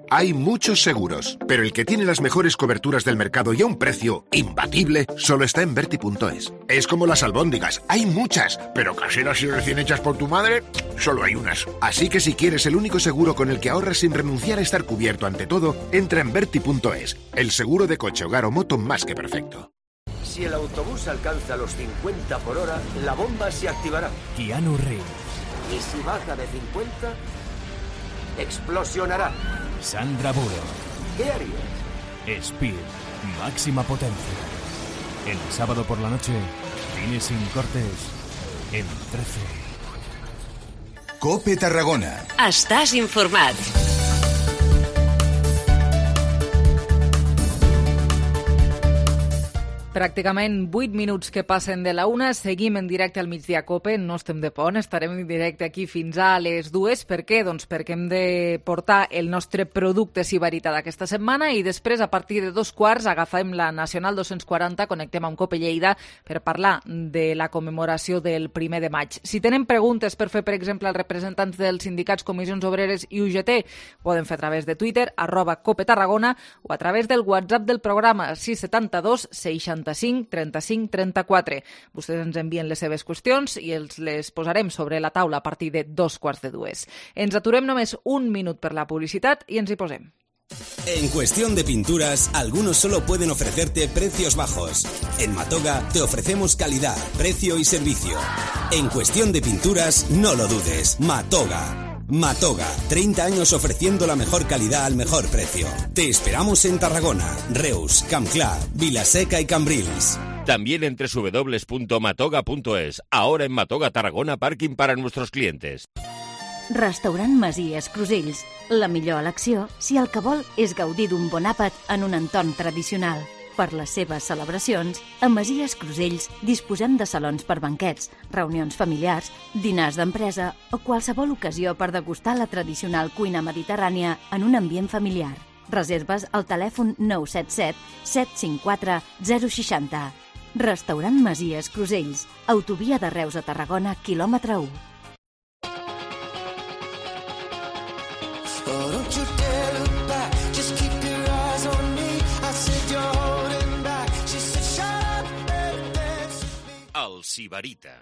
Hay muchos seguros, pero el que tiene las mejores coberturas del mercado y a un precio imbatible solo está en Verti.es. Es como las albóndigas, hay muchas, pero caseras y recién hechas por tu madre, solo hay unas. Así que si quieres el único seguro con el que ahorras sin renunciar a estar cubierto ante todo, entra en Verti.es, el seguro de coche, hogar o moto más que perfecto. Si el autobús alcanza los 50 por hora, la bomba se activará. Keanu Reeves. Y si baja de 50, explosionará. Sandra Bullock. ¿Qué harías? Speed, máxima potencia. El sábado por la noche, cine sin cortes, en 13. COPE Tarragona. Estàs informat. Pràcticament 8 minuts que passen de la 1. Seguim en directe al Migdia COPE. No estem de pont, estarem en directe aquí fins a les 2. Per què? Doncs perquè hem de portar el nostre producte Si Veritat aquesta setmana i després, a partir de 2:15, agafem la Nacional 240, connectem amb COPE Lleida per parlar de la commemoració del 1 de maig. Si tenen preguntes per fer, per exemple, als representants dels sindicats, comissions obreres i UGT, poden fer a través de Twitter, @COPE Tarragona, o a través del WhatsApp del programa 672 65 35 34. Vostès ens envien les seves qüestions i les posarem sobre la taula a partir de 2:15. Ens aturem només un minut per la publicitat i ens hi posem. En cuestión de pinturas, algunos solo pueden ofrecerte precios bajos. En Matoga te ofrecemos calidad, precio y servicio. En cuestión de pinturas, no lo dudes, Matoga. Matoga, 30 años ofreciendo la mejor calidad al mejor precio. Te esperamos en Tarragona, Reus, Campclar, Vilaseca y Cambrils. También en www.matoga.es. Ahora en Matoga Tarragona, parking para nuestros clientes. Restaurant Masies Crusells. La millor elecció si el que vol és gaudir d'un bon àpat en un entorn tradicional. Per les seves celebracions, a Masies Crusells disposem de salons per banquets, reunions familiars, dinars d'empresa o qualsevol ocasió per degustar la tradicional cuina mediterrània en un ambient familiar. Reserves al telèfon 977 754 060. Restaurant Masies Crusells, autovia de Reus a Tarragona, quilòmetre 1. El Sibarita.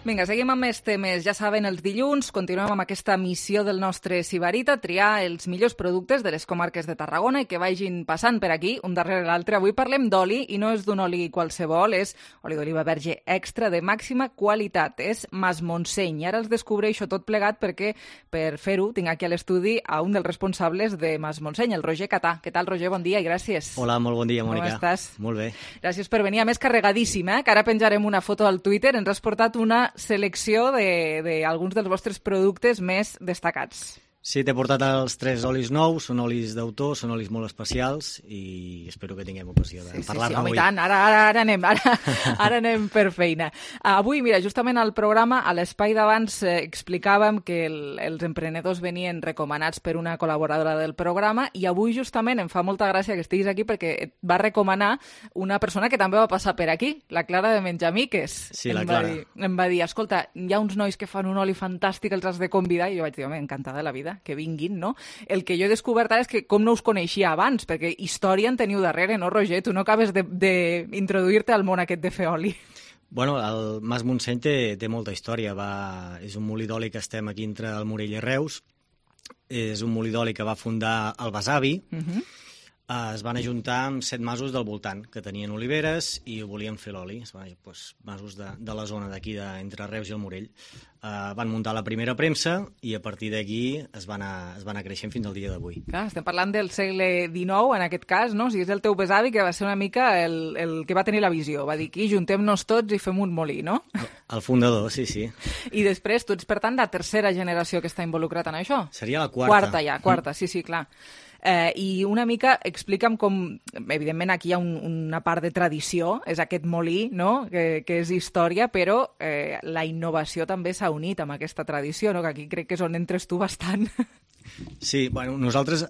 Vinga, seguim amb més temes. Ja saben, els dilluns continuem amb aquesta missió del nostre Sibarita, triar els millors productes de les comarques de Tarragona i que vagin passant per aquí, un darrere l'altre. Avui parlem d'oli, i no és d'un oli qualsevol, és oli d'oliva verge extra de màxima qualitat. És Mas Montseny. I ara els descobreixo tot plegat perquè, per fer-ho, tinc aquí a l'estudi a un dels responsables de Mas Montseny, el Roger Catà. Què tal, Roger? Bon dia i gràcies. Hola, molt bon dia, Mònica. Com estàs? Molt bé. Gràcies per venir. A més, carregadíssim, que ara penjarem una foto al Twitter. Ens has portat una selecció d'alguns dels vostres productes més destacats. Sí, t'he portat els 3 olis nous, són olis d'autor, són olis molt especials i espero que tinguem ocasió de parlar-ne avui. Sí, tant, ara anem per feina. Avui, mira, justament al programa, a l'espai d'abans, explicàvem que els emprenedors venien recomanats per una col·laboradora del programa i avui justament em fa molta gràcia que estiguis aquí perquè et va recomanar una persona que també va passar per aquí, la Clara de Menjamiques. Sí, la Clara. Em va dir, escolta, hi ha uns nois que fan un oli fantàstic, els has de convidar, i jo vaig dir, home, encantada de la vida que vinguin, no? El que jo he descobert ara és que com no us coneixia abans, perquè història en teniu darrere, no, Roger? Tu no acabes d'introduir-te al món aquest de fer oli. Bueno, el Mas Montseny té molta història. És un molí d'oli que estem aquí entre el Morell i Reus. És un molí d'oli que va fundar el besavi. Es van ajuntar amb 7 masos del voltant, que tenien oliveres i volien fer l'oli. Masos de la zona d'aquí, entre Reus i el Morell. Van muntar la primera premsa i a partir d'aquí es va anar creixent fins al dia d'avui. Clar, estem parlant del segle XIX, en aquest cas, no? O sigui, és el teu besavi que va ser una mica el que va tenir la visió. Va dir, aquí, juntem-nos tots i fem un molí, no? El fundador, sí. I després, tu ets, per tant, la tercera generació que està involucrat en això? Seria la quarta. Quarta, sí, clar. I una mica explica'm com, evidentment aquí hi ha una part de tradició, és aquest molí, no? que és història, però la innovació també s'ha unit amb aquesta tradició, no? Que aquí crec que és on entres tu bastant. Sí, bueno, nosaltres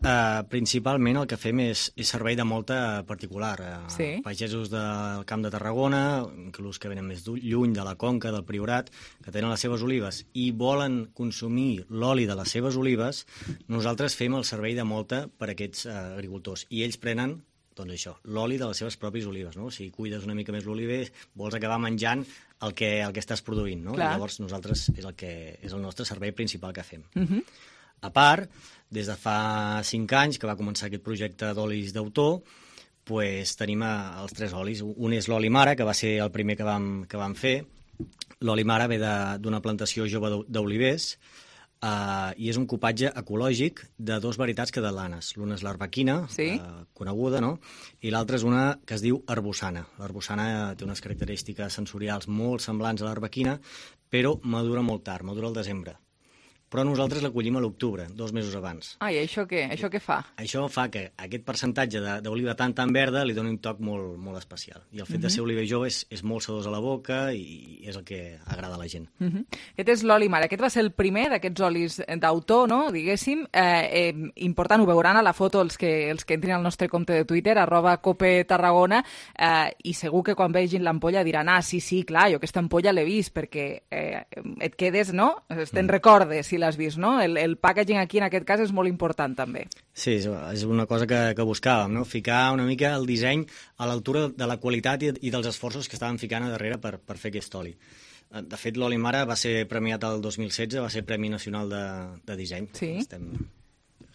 principalment el que fem és servei de molta particular. Sí. Pagesos del Camp de Tarragona, inclús que venen més lluny, de la Conca, del Priorat, que tenen les seves olives i volen consumir l'oli de les seves olives, nosaltres fem el servei de molta per a aquests agricultors. I ells prenen, doncs això, l'oli de les seves pròpies olives, no? Si cuides una mica més l'oliver, vols acabar menjant el que estàs produint, no? Llavors nosaltres és el nostre servei principal que fem. A part, des de fa 5 anys que va començar aquest projecte d'olis d'autor, tenim els 3 olis. Un és l'oli mare, que va ser el primer que vam fer. L'oli mare ve d'una plantació jove d'olivers i és un cupatge ecològic de 2 varietats catalanes. L'una és l'arbequina, coneguda, no? I l'altra és una que es diu arbossana. L'arbossana té unes característiques sensorials molt semblants a l'arbequina, però madura molt tard, madura al desembre. Però nosaltres la collim a l'octubre, 2 mesos abans. I això què? Això què fa? Això fa que aquest percentatge d'oliva tan verda li doni un toc molt especial. I el fet de ser oliver jove és molt sedós a la boca i és el que agrada a la gent. Aquest és l'oli mare. Aquest va ser el primer d'aquests olis d'autor, no? Diguéssim. Important, ho veuran a la foto els que entrin al nostre compte de Twitter, @copetarragona, i segur que quan vegin l'ampolla diran, sí, clar, jo aquesta ampolla l'he vist, perquè et quedes, no? Te'n recordes, si l'has vist, no? El packaging aquí, en aquest cas, és molt important, també. Sí, és una cosa que buscàvem, no? Ficar una mica el disseny a l'altura de la qualitat i dels esforços que estàvem ficant a darrere per fer aquest oli. De fet, l'oli mare va ser premiat el 2016, va ser Premi Nacional de Disseny. Sí.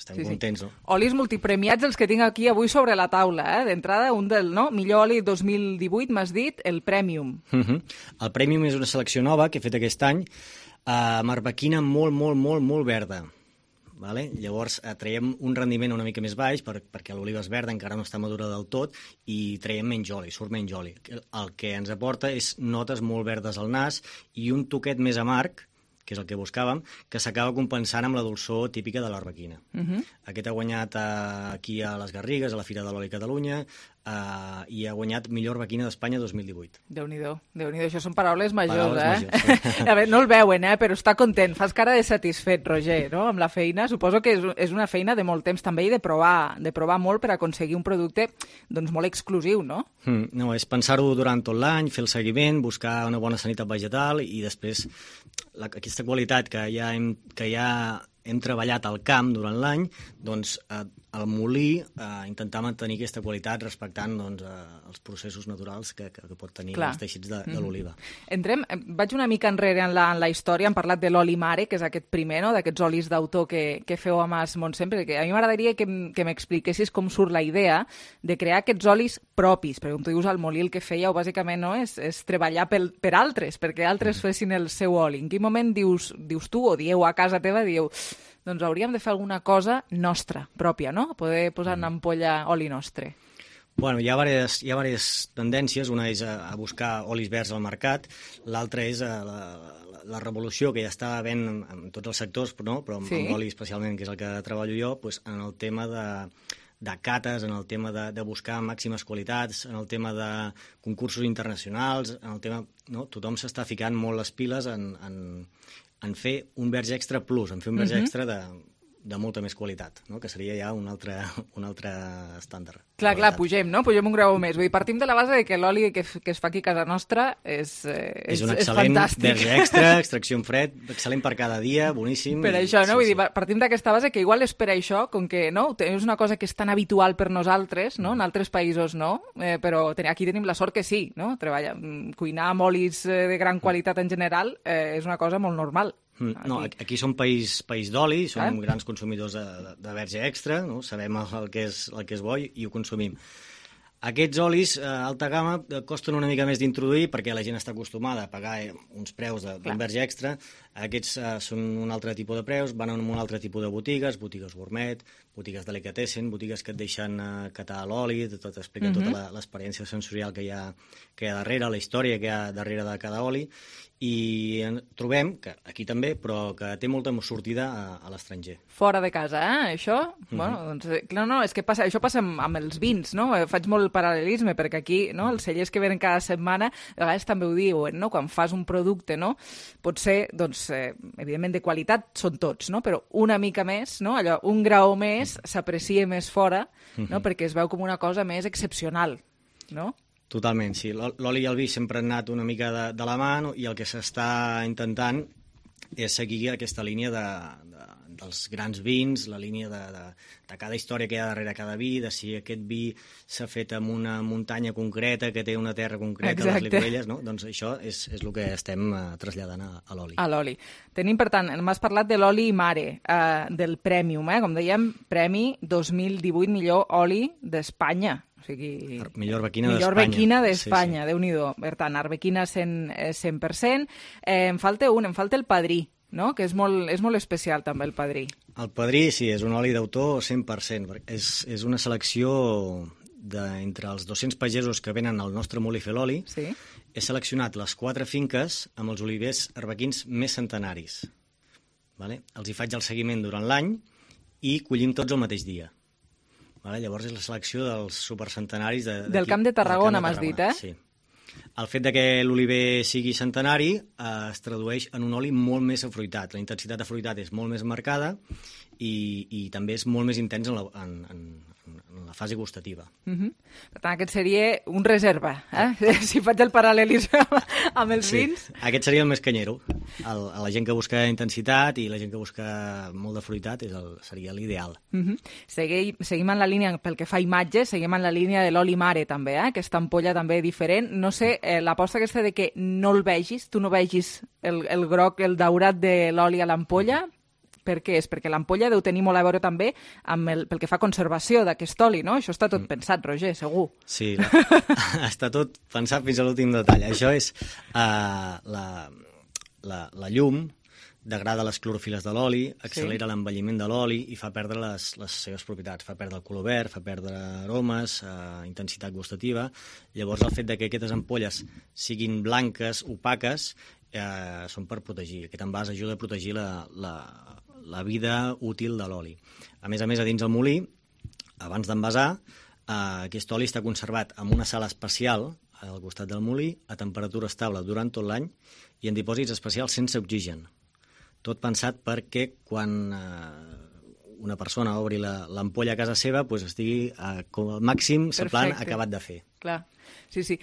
Estem contents, no? Olis multipremiats els que tinc aquí avui sobre la taula, D'entrada, un del millor oli 2018, m'has dit, el Premium. El Premium és una selecció nova que he fet aquest any, amb arbequina molt verda. Vale? Llavors traiem un rendiment una mica més baix perquè l'oliva és verda, encara no està madura del tot, i traiem menys oli, surt menys oli. El que ens aporta és notes molt verdes al nas i un toquet més amarg, que és el que buscàvem, que s'acaba compensant amb la dolçor típica de l'arbequina. Aquest ha guanyat aquí a les Garrigues, a la Fira de l'Oli Catalunya, i ha guanyat millor arbequina d'Espanya 2018. Déu-n'hi-do, això són paraules majors, majors. A veure, no el veuen, però està content, fas cara de satisfet, Roger, no? Amb la feina. Suposo que és una feina de molt temps també i de provar molt per aconseguir un producte doncs, molt exclusiu, no? No, és pensar-ho durant tot l'any, fer el seguiment, buscar una bona sanitat vegetal i després aquesta qualitat que ja hem treballat al camp durant l'any, doncs al molí intentar mantenir aquesta qualitat respectant doncs, els processos naturals que pot tenir els teixits de l'oliva. Vaig una mica enrere en la història, hem parlat de l'oli mare, que és aquest primer, no? D'aquests olis d'autor que feu a Mas Montseny, perquè a mi m'agradaria que m'expliquessis com surt la idea de crear aquests olis propis, perquè com tu dius, al molí el que fèieu bàsicament no? és treballar per altres, perquè altres fessin el seu oli. En quin moment dius tu, o dieu a casa teva, doncs hauríem de fer alguna cosa nostra, pròpia, no? Poder posar en ampolla oli nostre. Bueno, hi ha diverses tendències. Una és a buscar olis verds al mercat, l'altra és la revolució que ja està havent en tots els sectors, no? Però amb oli especialment, que és el que treballo jo, doncs en el tema de cates, en el tema de buscar màximes qualitats, en el tema de concursos internacionals, en el tema... No? Tothom s'està ficant molt les piles en fer un verge extra plus, en fer un verge extra de molta més qualitat, no? Que seria ja un altre estàndard. Clar, pugem un grau més. Vull dir, partim de la base de que l'oli que es fa aquí a casa nostra és un excel·lent verge extra, extracció en fred, excel·lent per cada dia, boníssim. Per això, no? Vull dir, partim d'aquesta base que igual és per això, com que és una cosa que és tan habitual per nosaltres, no? En altres països no, però aquí tenim la sort que sí, no? Cuinar amb olis de gran qualitat en general és una cosa molt normal. No, aquí som país d'oli, som grans consumidors de verge extra, no? Sabem el que és bo i ho consumim. Aquests olis alta gamma costen una mica més d'introduir perquè la gent està acostumada a pagar uns preus d'un verge extra. Aquests són un altre tipus de preus, van en un altre tipus de botigues gourmet, botigues delicatessen, botigues que et deixen catar l'oli, t'expliquen tota l'experiència sensorial que hi ha darrere, la història que hi ha darrere de cada oli, i trobem, que aquí també, però que té molta sortida a l'estranger. Fora de casa, això? Bueno, doncs, no, és que això passa amb els vins, no? Faig molt el paral·lelisme, perquè aquí els cellers que venen cada setmana, a vegades també ho diuen, no? Quan fas un producte, no? Pot ser, doncs, evidentment de qualitat són tots, no? Però una mica més, no? Allò, un grau més s'aprecia més fora, no? Perquè es veu com una cosa més excepcional, no? Totalment, sí. L'oli i el vi sempre han anat una mica de la mà, i el que s'està intentant és seguir aquesta línia dels grans vins, la línia de cada història que hi ha darrere cada vi, de si aquest vi s'ha fet en una muntanya concreta, que té una terra concreta, les Licorelles, no? Doncs això és el que estem traslladant a l'oli. A l'oli. Tenim, per tant, m'has parlat de l'oli mare, del Premium, com dèiem, Premi 2018 millor oli d'Espanya. O sigui, millor arbequina d'Espanya, Déu-n'hi-do. Per tant, arbequina 100%. Em falta el Padrí, no? Que és molt especial també el Padrí. El Padrí, sí, és un oli d'autor 100%. És una selecció d'entre els 200 pagesos que venen al nostre molí a fer l'oli. Sí. He seleccionat les 4 finques amb els olivers arbequins més centenaris. Vale? Els hi faig el seguiment durant l'any i collim tots el mateix dia. Llavors és la selecció dels supercentenaris del Camp de Tarragona, m'has dit, eh? Sí. El fet que l'oliver sigui centenari es tradueix en un oli molt més afruitat. La intensitat d'afruitat és molt més marcada i també és molt més intens en la fase gustativa. Per tant, aquest seria un reserva, si faig el paral·lelisme amb els vins. Aquest seria el més canyero. A la gent que busca intensitat i la gent que busca molt de fruitat seria l'ideal. Seguim en la línia, pel que fa a imatges, seguim en la línia de l'oli mare també, aquesta ampolla també diferent. No sé, l'aposta aquesta de que no el vegis, tu no vegis el groc, el daurat de l'oli a l'ampolla, per què és? Perquè l'ampolla deu tenir molt a veure també pel que fa a conservació d'aquest oli, no? Això està tot pensat, Roger, segur. Sí, està tot pensat fins a l'últim detall. Això és la llum, degrada les clorofiles de l'oli, accelera l'envelliment de l'oli i fa perdre les seves propietats. Fa perdre el color verd, fa perdre aromes, intensitat gustativa. Llavors, el fet de que aquestes ampolles siguin blanques, opaques, són per protegir. Aquest envàs ajuda a protegir la vida útil de l'oli. A més, a dins el molí, abans d'envasar, aquest oli està conservat en una sala especial al costat del molí, a temperatura estable durant tot l'any i en dipòsits especials sense oxigen. Tot pensat perquè quan una persona obri l'ampolla a casa seva estigui com al màxim semblant acabat de fer. Clar. Sí.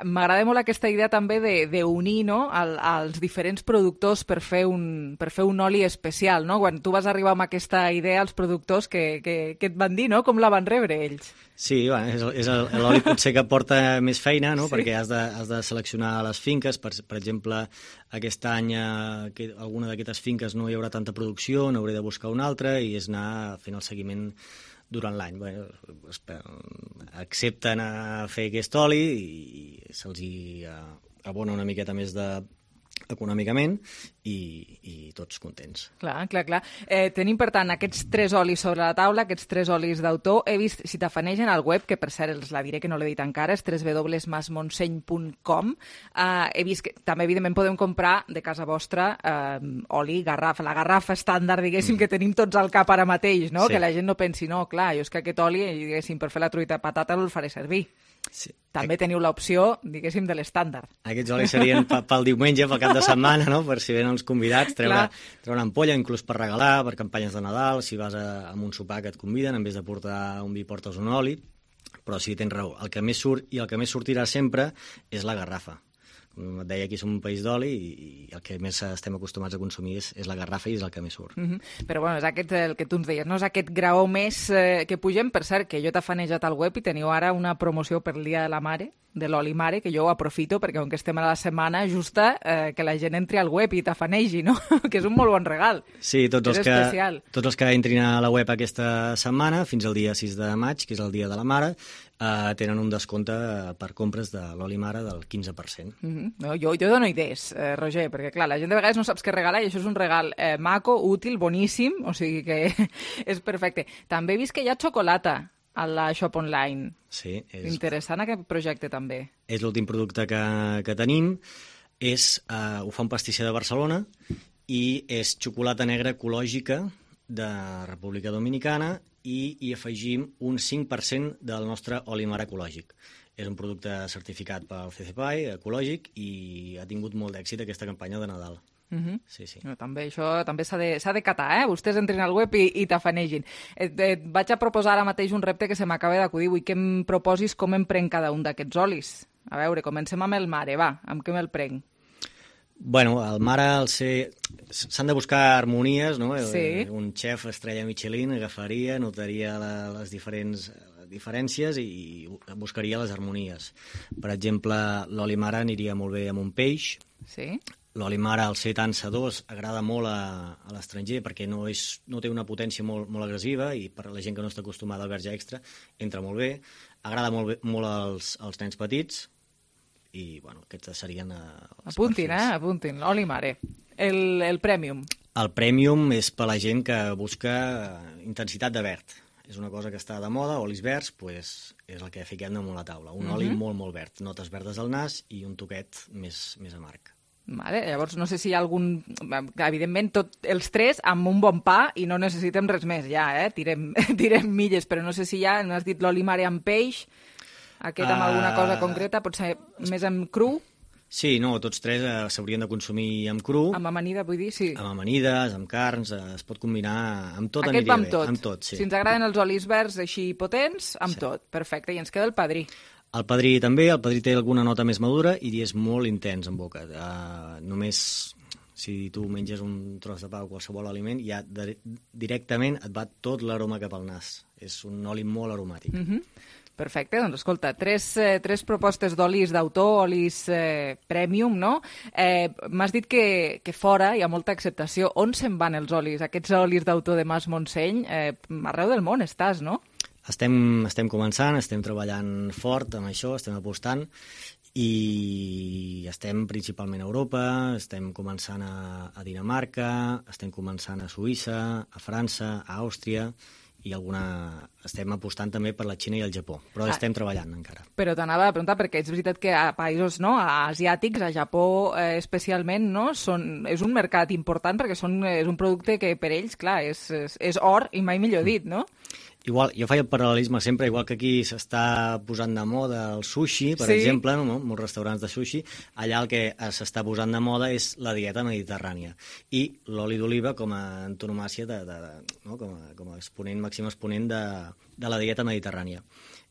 M'agrada molt aquesta idea també d'unir els diferents productors per fer un oli especial, no? Quan tu vas arribar amb aquesta idea, els productors, que et van dir, no? Com la van rebre ells? Sí, és l'oli potser que porta més feina, no? Sí. Perquè has de seleccionar les finques. Per exemple, aquest any alguna d'aquestes finques no hi haurà tanta producció, n'hauré de buscar una altra i és anar fent el seguiment durant l'any. Accepten a fer aquest oli i se'ls abona una miqueta més econòmicament i tots contents. Clar. Tenim, per tant, aquests 3 olis sobre la taula, aquests 3 olis d'autor. He vist, si t'afanegen al web, que per cert els la diré que no l'he dit encara, és www.masmontseny.com. He vist que també, evidentment, podem comprar de casa vostra oli, garrafa, la garrafa estàndard, diguéssim, que tenim tots al cap ara mateix, no? Sí. Que la gent no pensi, no, clar, jo és que aquest oli, diguéssim, per fer la truita de patata el faré servir. Sí. També teniu l'opció, diguéssim, de l'estàndard. Aquests olis serien pel diumenge, pel cap de setmana, no? Per si venen els convidats, treure una ampolla, inclús per regalar, per campanyes de Nadal, si vas a un sopar que et conviden, en vez de portar un vi portes un oli, però sí, tens raó. El que més surt i el que més sortirà sempre és la garrafa. Com et deia, aquí som un país d'oli i el que més estem acostumats a consumir és la garrafa i és el que més surt. Però bueno, és aquest el que tu ens deies, no? És aquest graó més que pugem. Per cert, que jo t'he fanejat al web i teniu ara una promoció per el Dia de la Mare, de l'oli mare, que jo ho aprofito perquè com que estem a la setmana justa, que la gent entri al web i t'afanegi, no? Que és un molt bon regal. Sí, tots els que entrin a la web aquesta setmana, fins al dia 6 de maig, que és el Dia de la Mare, tenen un descompte per compres de l'oli mare del 15%. No, jo dono idees, Roger, perquè clar, la gent de vegades no saps què regalar i això és un regal maco, útil, boníssim, o sigui que és perfecte. També he vist que hi ha xocolata a la Shop Online. Sí. Interessant aquest projecte també. És l'últim producte que tenim. Ho fa un pastisser de Barcelona i és xocolata negra ecològica de República Dominicana i hi afegim un 5% del nostre oli mare ecològic. És un producte certificat pel CCPAI, ecològic, i ha tingut molt d'èxit aquesta campanya de Nadal. Sí. No, això també s'ha de catar, Vostès entrin al web i t'afanegin. Et vaig a proposar ara mateix un repte que se m'acaba d'acudir. Vull que em proposis com em prenc cada un d'aquests olis. A veure, comencem amb el mare, va, amb què me'l prenc? Bueno, el mare, s'han de buscar harmonies, no? Sí. Un xef estrella Michelin agafaria, notaria les diferències i buscaria les harmonies. Per exemple, l'oli mare aniria molt bé amb un peix. Sí. L'oli mare, al ser tan sedós, agrada molt a l'estranger perquè no té una potència molt agressiva i per a la gent que no està acostumada al verge extra entra molt bé. Agrada molt als nens petits i, bueno, aquests serien els apuntin, apuntin, l'oli mare. El Premium. El Premium és per a la gent que busca intensitat de verd. És una cosa que està de moda, olis verds, és el que fiquem damunt la taula. Un oli molt verd, notes verdes al nas i un toquet més amarg. Vale, llavors no sé si hi ha algun... Evidentment, els 3 amb un bon pa i no necessitem res més, ja, tirem milles, però no sé si ja m'has dit l'oli mare amb peix, aquest amb alguna cosa concreta, potser més amb cru? Sí, no, tots 3 s'haurien de consumir amb cru. Amb amanida, vull dir, sí. Amb amanides, amb carns, es pot combinar amb tot. Aquest va amb tot. Amb tot, sí. Si ens agraden els olis verds així potents, amb tot. Perfecte, i ens queda el padrí. El padrí també, el padrí té alguna nota més madura i és molt intens en boca. Només si tu menges un tros de pa o qualsevol aliment, ja directament et va tot l'aroma cap al nas. És un oli molt aromàtic. Perfecte, doncs escolta, tres propostes d'olis d'autor, olis premium, no? M'has dit que fora hi ha molta acceptació. On se'n van els olis, aquests olis d'autor de Mas Montseny? Arreu del món estàs, no? Estem començant, estem treballant fort amb això, estem apostant I estem principalment a Europa, estem començant a Dinamarca, estem començant a Suïssa, a França, a Àustria, i estem apostant també per la Xina i el Japó, però estem treballant encara. Però t'anava a preguntar, perquè és veritat que a països asiàtics, a Japó especialment, és un mercat important perquè és un producte que per ells, clar, és or i mai millor dit, no? Igual, jo faig el paral·lelisme sempre, igual que aquí s'està posant de moda el sushi, per exemple, no? Molts restaurants de sushi, allà el que s'està posant de moda és la dieta mediterrània. I l'oli d'oliva com a antonomàcia, com a exponent, màxim exponent de la dieta mediterrània.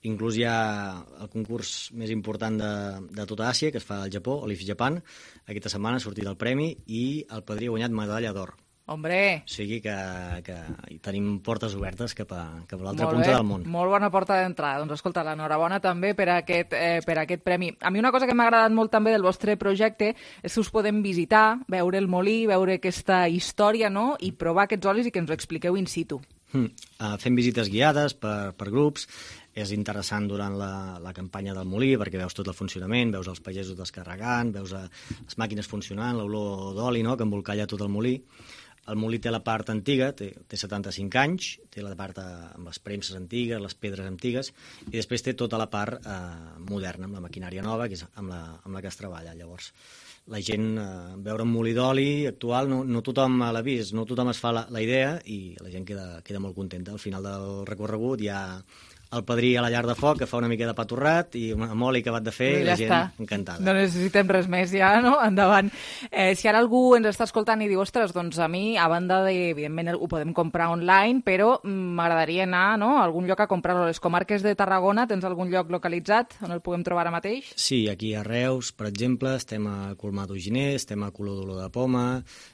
Inclús hi ha el concurs més important de tota Àsia, que es fa al Japó, Olive Japan. Aquesta setmana ha sortit el premi i el padrí ha guanyat medalla d'or. Hombre! O sigui que tenim portes obertes cap a l'altra punta del món. Molt bona porta d'entrada. Doncs escolta, l'enhorabona també per aquest premi. A mi una cosa que m'ha agradat molt també del vostre projecte és que us podem visitar, veure el molí, veure aquesta història, no?, i provar aquests olis i que ens ho expliqueu in situ. Fem visites guiades per grups. És interessant durant la campanya del molí perquè veus tot el funcionament, veus els pagesos descarregant, veus les màquines funcionant, l'olor d'oli, no?, que embolcalla tot el molí. El molí té la part antiga, té 75 anys, té la part amb les premses antigues, les pedres antigues, i després té tota la part moderna, amb la maquinària nova, que és amb la que es treballa. Llavors, la gent, veure un molí d'oli actual, no tothom l'ha vist, no tothom es fa la idea, i la gent queda molt contenta. Al final del recorregut hi ha el padrí a la llar de foc, que fa una mica de pa torrat, i amb oli acabat de fer, i la gent encantada. No necessitem res més ja, no? Endavant. Si ara algú ens està escoltant i diu, ostres, doncs a mi, a banda de, evidentment, ho podem comprar online, però m'agradaria anar, no?, a algun lloc a comprar-lo. A les comarques de Tarragona tens algun lloc localitzat on el puguem trobar ara mateix? Sí, aquí a Reus, per exemple, estem a Colmar d'Uginer, estem a Color d'Olor de Poma,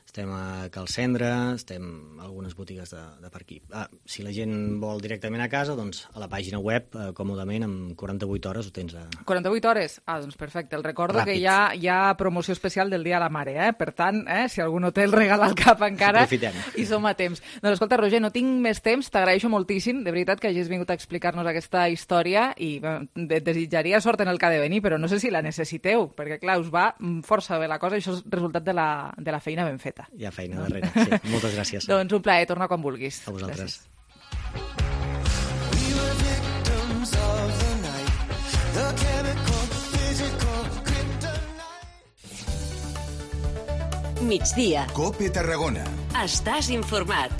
estem a Cal Cendra, estem a algunes botigues de per aquí. Si la gent vol directament a casa, doncs a la pàgina web, còmodament, en 48 hores ho tens. 48 hores? Doncs perfecte. El recordo ràpid. Que hi ha promoció especial del Dia de la Mare, Per tant, si algú no té el regal al cap encara, aprofitem. I som a temps. Doncs escolta, Roger, no tinc més temps, t'agraeixo moltíssim, de veritat, que hagis vingut a explicar-nos aquesta història i desitjaria sort en el que ha de venir, però no sé si la necessiteu, perquè clar, us va força bé la cosa i això és resultat de la feina ben feta. Hi ha feina darrere, sí. Moltes gràcies. Doncs un plaer, torna quan vulguis. A vosaltres. Gràcies. Migdia. COPE Tarragona. Estàs informat.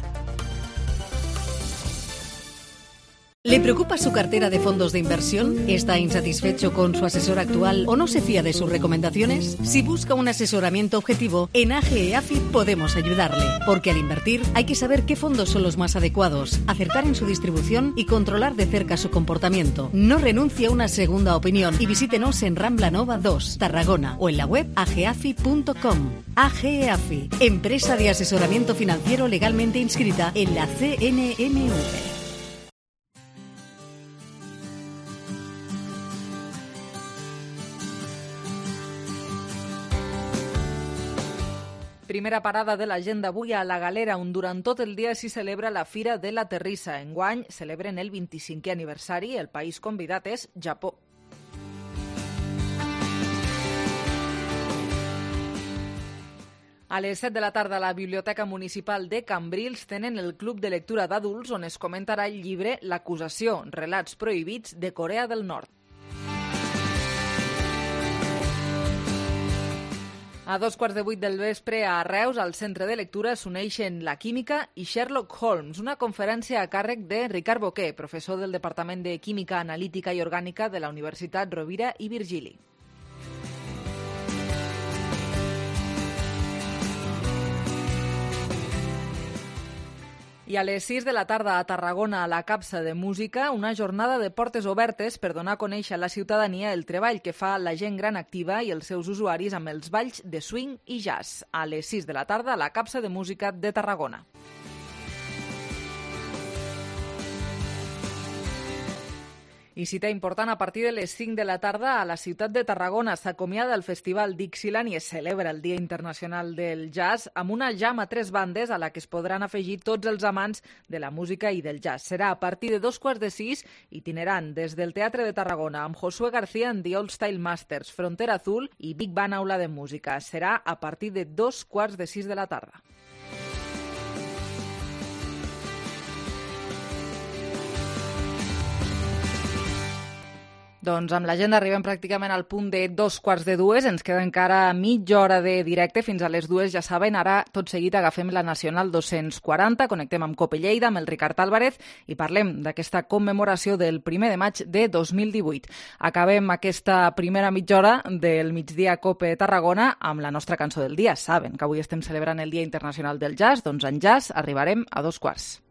¿Le preocupa su cartera de fondos de inversión? ¿Está insatisfecho con su asesor actual o no se fía de sus recomendaciones? Si busca un asesoramiento objetivo, en AGEAFI podemos ayudarle. Porque al invertir hay que saber qué fondos son los más adecuados, acertar en su distribución y controlar de cerca su comportamiento. No renuncie a una segunda opinión y visítenos en Rambla Nova 2, Tarragona, o en la web ageafi.com. AGEAFI, empresa de asesoramiento financiero legalmente inscrita en la CNMV. Primera parada de l'agenda avui a la Galera, on durant tot el dia s'hi celebra la Fira de la Terrissa. Enguany celebren el 25è aniversari. El país convidat és Japó. A les 7 de la tarda a la Biblioteca Municipal de Cambrils tenen el Club de Lectura d'Adults, on es comentarà el llibre L'acusació, relats prohibits de Corea del Nord. A 7:15 del vespre a Reus, al Centre de Lectura, s'uneixen la química i Sherlock Holmes, una conferència a càrrec de Ricard Boquer, professor del Departament de Química Analítica i Orgànica de la Universitat Rovira i Virgili. I a les 6 de la tarda a Tarragona, a la Capsa de Música, una jornada de portes obertes per donar a conèixer a la ciutadania el treball que fa la gent gran activa i els seus usuaris amb els balls de swing i jazz. A les 6 de la tarda a la Capsa de Música de Tarragona. I cita important, a partir de les 5 de la tarda a la ciutat de Tarragona s'acomiada el Festival Dixieland i es celebra el Dia Internacional del Jazz amb una jam a 3 bandes a la que es podran afegir tots els amants de la música i del jazz. Serà a partir de 5:15, itinerant des del Teatre de Tarragona amb Josué García en The Old Style Masters, Frontera Azul i Big Band Aula de Música. Serà a partir de 5:15 de la tarda. Doncs amb l'agenda arribem pràcticament al punt de 2:15. Ens queda encara mitja hora de directe fins a les 2, ja saben. Ara, tot seguit, agafem la Nacional 240, connectem amb Cope Lleida, amb el Ricard Álvarez i parlem d'aquesta commemoració del 1 de maig de 2018. Acabem aquesta primera mitja hora del migdia Cope Tarragona amb la nostra cançó del dia. Saben que avui estem celebrant el Dia Internacional del Jazz, doncs en jazz arribarem a 2:15.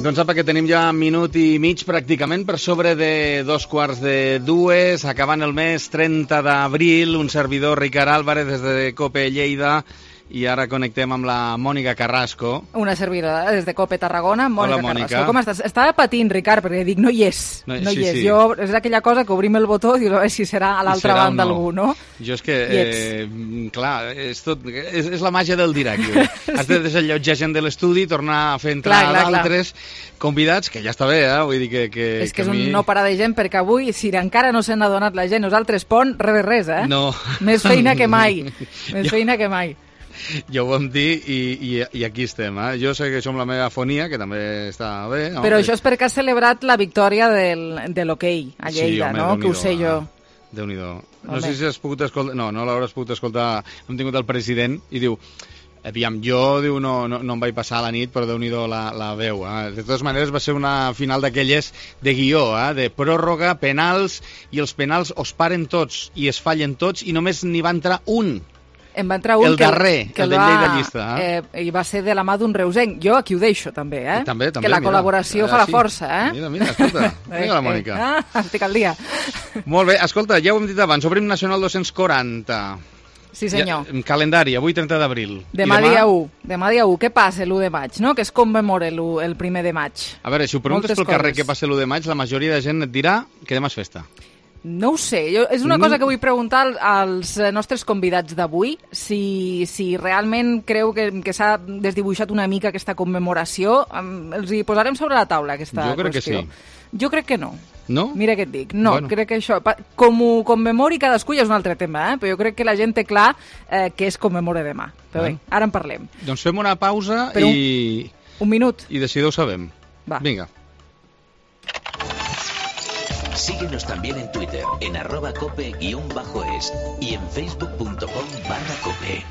Doncs apa, que tenim ja minut i mig pràcticament per sobre de 2:15, acabant el mes 30 d'abril, un servidor, Ricard Álvarez, des de Cope Lleida, i ara connectem amb la Mònica Carrasco. Una servidora des de Cope Tarragona, Mònica. Hola, Mònica. Carrasco. Com estàs? Estava patint, Ricard, perquè dic, no hi és. No hi és. Jo, és aquella cosa que obrim el botó i dius, a veure si serà a l'altra banda algú, no? Jo és que, clar, és la màgia del directe. Has de desallotjar gent de l'estudi, tornar a fer entrar d'altres convidats, que ja està bé, vull dir que... És que és un no parar de gent, perquè avui, si encara no s'han adonat la gent, nosaltres, Pont, res de res, No. Més feina que mai. Més feina que mai. Ja ho vam dir i aquí estem. Jo sé que som la meva fonia, que també està bé. No? Però això és perquè has celebrat la victòria de l'hoquei a Lleida, sí, home, no? Que ho sé jo. Déu-n'hi-do. No sé si has pogut escoltar... No l'hauràs pogut escoltar. Hem tingut el president i diu... Aviam, jo no em vaig passar la nit, però Déu-n'hi-do la veu. De totes maneres, va ser una final d'aquelles de guió, de pròrroga, penals, i els penals os paren tots i es fallen tots i només n'hi va entrar un. En va entrar un el darrer, el de Lleida Llista. I va ser de la mà d'un reusenc. Jo aquí ho deixo, també, També, que la col·laboració fa la força, Mira, escolta. Mira la Mònica. Estic al dia. Molt bé, escolta, ja ho hem dit abans, obrim Nacional 240. Sí, senyor. Calendari, avui 30 d'abril. Demà dia 1. Demà dia 1. Què passa l'1 de maig, no? Que es commemora el 1 de maig. A veure, si ho preguntes pel carrer què passa l'1 de maig, la majoria de gent et dirà que demà és festa. No ho sé, és una cosa que vull preguntar als nostres convidats d'avui, si realment creu que s'ha desdibuixat una mica aquesta commemoració. Els hi posarem sobre la taula aquesta qüestió. Jo crec que sí. Jo crec que no. No? Mira què et dic. No, bueno. Crec que això... Com ho commemori cadascú ja és un altre tema, però jo crec que la gent té clar que es commemora demà. Però bé, ara en parlem. Doncs fem una pausa i... Un minut. I de seguida ho sabem. Va. Vinga. Síguenos también en Twitter, en @cope_es y en facebook.com/cope.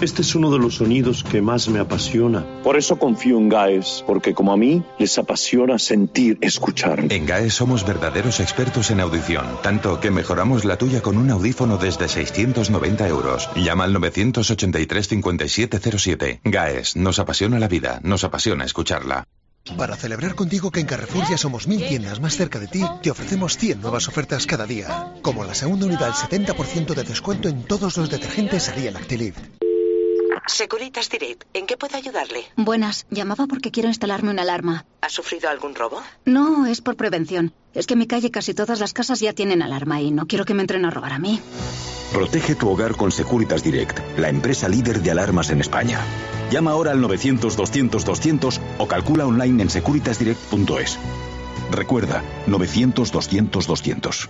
Este es uno de los sonidos que más me apasiona. Por eso confío en GAES, porque como a mí, les apasiona sentir, escuchar. En GAES somos verdaderos expertos en audición, tanto que mejoramos la tuya con un audífono desde 690 €. Llama al 983 5707. GAES, nos apasiona la vida, nos apasiona escucharla. Para celebrar contigo que en Carrefour ya somos 1000 tiendas más cerca de ti, te ofrecemos 100 nuevas ofertas cada día. Como la segunda unidad al 70% de descuento en todos los detergentes Ariel Actilift. Securitas Direct, ¿en qué puedo ayudarle? Buenas, llamaba porque quiero instalarme una alarma. ¿Ha sufrido algún robo? No, es por prevención. Es que en mi calle casi todas las casas ya tienen alarma y no quiero que me entren a robar a mí. Protege tu hogar con Securitas Direct, la empresa líder de alarmas en España. Llama ahora al 900-200-200 o calcula online en securitasdirect.es. Recuerda, 900-200-200.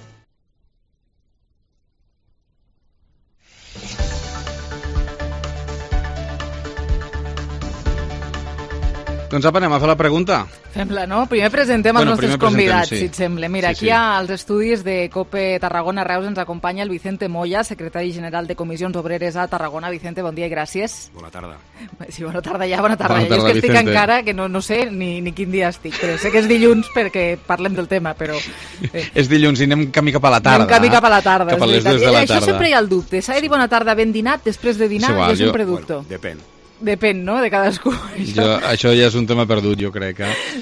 Doncs apa, anem a fer la pregunta. Fem-la, no? Primer presentem els nostres convidats, si et sembla. Mira, aquí als estudis de COPE Tarragona Reus ens acompanya el Vicente Moya, secretari general de Comissions Obreres a Tarragona. Vicente, bon dia i gràcies. Bona tarda. Sí, bona tarda ja, bona tarda. Jo és que estic encara, que no sé ni quin dia estic, però sé que és dilluns perquè parlem del tema, però... És dilluns i anem camí cap a la tarda. Anem camí cap a la tarda. Cap a les 2 de la tarda. Això sempre hi ha el dubte. S'ha de dir bona tarda ben dinat, després de dinar, jo sempre dubto. Depèn, no?, de cadascú. Això ja és un tema perdut, jo crec.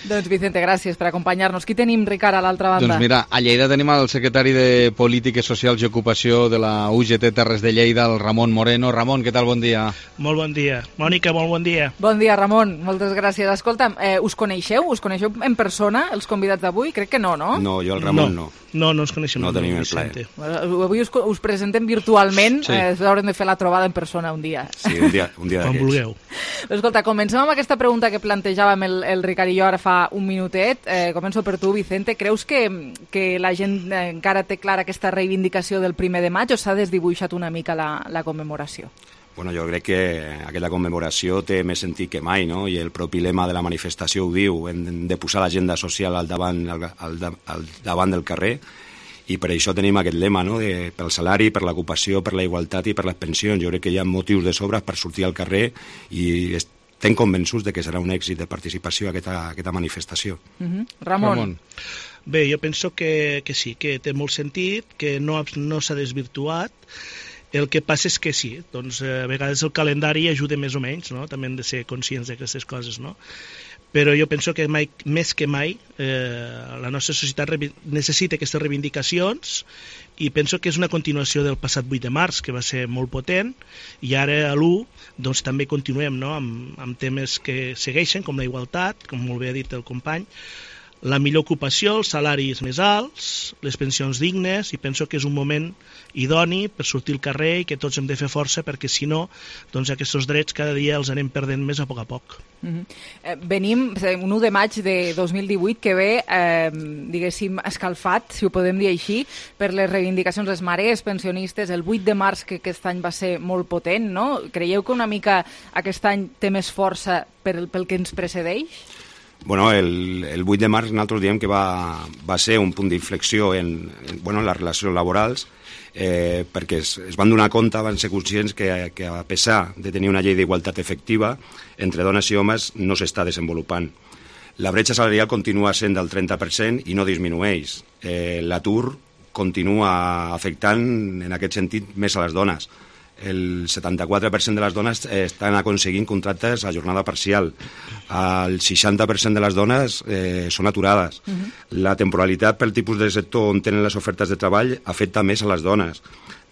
Doncs, Vicente, gràcies per acompanyar-nos. Qui tenim, Ricard, a l'altra banda? Doncs mira, a Lleida tenim el secretari de Polítiques Socials i Ocupació de la UGT Terres de Lleida, el Ramon Moreno. Ramon, què tal? Bon dia. Molt bon dia. Mònica, molt bon dia. Bon dia, Ramon. Moltes gràcies. Escolta'm, us coneixeu? Us coneixeu en persona, els convidats d'avui? Crec que no, no? No, jo el Ramon no. No ens coneixem. No tenim el plaer. Avui us presentem virtualment, haurem de fer la trobada en persona un dia. Sí, un dia d'aquests. Quan vulgueu. Escolta, comencem amb aquesta pregunta que plantejàvem el Ricard i jo ara fa un minutet. Començo per tu, Vicente. Creus que la gent encara té clara aquesta reivindicació del 1 de maig o s'ha desdibuixat una mica la commemoració? Bueno, jo crec que aquella commemoració té més sentit que mai, no? I el propi lema de la manifestació ho diu, hem de posar l'agenda social al davant del carrer, i per això tenim aquest lema, no?, pel salari, per l'ocupació, per la igualtat i per les pensions. Jo crec que hi ha motius de sobres per sortir al carrer i estem convençuts de que serà un èxit de participació aquesta manifestació. Ramon. Bé, jo penso que sí, que té molt sentit, que no s'ha desvirtuat. El que passa és que sí, doncs a vegades el calendari ajuda més o menys, no? També hem de ser conscients d'aquestes coses, no? Però jo penso que més que mai la nostra societat necessita aquestes reivindicacions i penso que és una continuació del passat 8 de març, que va ser molt potent, i ara a l'1 doncs, també continuem, no?, amb temes que segueixen, com la igualtat, com molt bé ha dit el company, la millor ocupació, els salaris més alts, les pensions dignes, i penso que és un moment idoni per sortir al carrer i que tots hem de fer força perquè si no, doncs aquests drets cada dia els anem perdent més a poc. Venim un 1 de maig de 2018 que ve, diguéssim, escalfat, si ho podem dir així, per les reivindicacions dels mares, pensionistes. El 8 de març, que aquest any va ser molt potent, no? Creieu que una mica aquest any té més força pel que ens precedeix? Bueno, el 8 de març nosaltres diem que va ser un punt d'inflexió en les relacions laborals, perquè es van donar compte, van ser conscients que a pesar de tenir una llei d'igualtat efectiva, entre dones i homes no s'està desenvolupant. La bretxa salarial continua sent del 30% i no disminueix. L'atur continua afectant, en aquest sentit, més a les dones. El 74% de les dones estan aconseguint contractes a jornada parcial. El 60% de les dones són aturades. La temporalitat pel tipus de sector on tenen les ofertes de treball afecta més a les dones.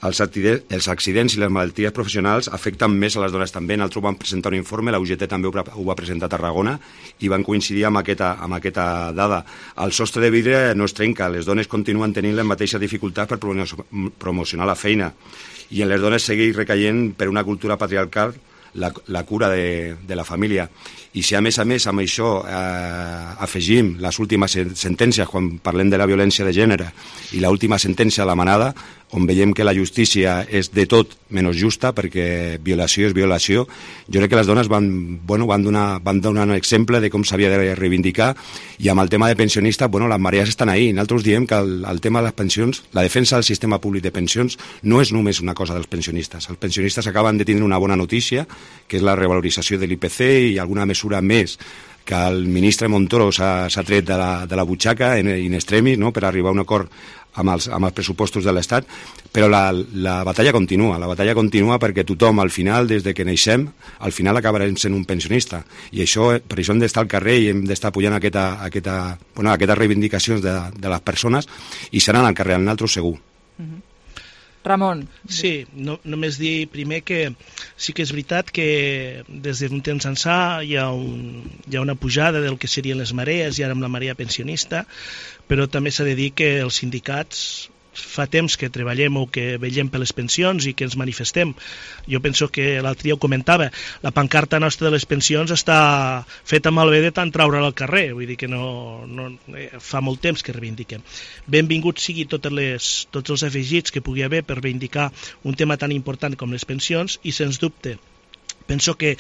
Els accidents i les malalties professionals afecten més a les dones també. Nosaltres vam presentar un informe, la UGT també ho va presentar a Tarragona, i van coincidir amb aquesta dada. El sostre de vidre no es trenca, les dones continuen tenint les mateixes dificultats per promocionar la feina, i en les dones segueix recaient per una cultura patriarcal la cura de la família. I si a més amb això afegim les últimes sentències, quan parlem de la violència de gènere, i l'última sentència de la Manada, on veiem que la justícia és de tot menys justa, perquè violació és violació, jo crec que les dones van donar un exemple de com s'havia de reivindicar, i amb el tema de pensionistes, les marees estan ahí. Nosaltres diem que el tema de les pensions, la defensa del sistema públic de pensions, no és només una cosa dels pensionistes. Els pensionistes acaben de tenir una bona notícia, que és la revalorització de l'IPC i alguna mesura més que el ministre Montoro s'ha tret de la butxaca in extremis, no?, per arribar a un acord amb els pressupostos de l'Estat, però la batalla continua perquè tothom, al final, des de que neixem, al final acabarem sent un pensionista. I per això hem d'estar al carrer i hem d'estar pujant aquestes reivindicacions de les persones, i seran al carrer, al naltros segur. Ramon. Sí, només dir primer que sí que és veritat que des d'un temps ençà hi ha una pujada del que serien les marees, i ara amb la marea pensionista, però també s'ha de dir que els sindicats fa temps que treballem o que vetllem per les pensions i que ens manifestem. Jo penso que l'altre dia ho comentava, la pancarta nostra de les pensions està feta malbé de tant treure'la al carrer, vull dir que fa molt temps que reivindiquem. Benvinguts sigui tots els afegits que pugui haver per reivindicar un tema tan important com les pensions, i sens dubte penso que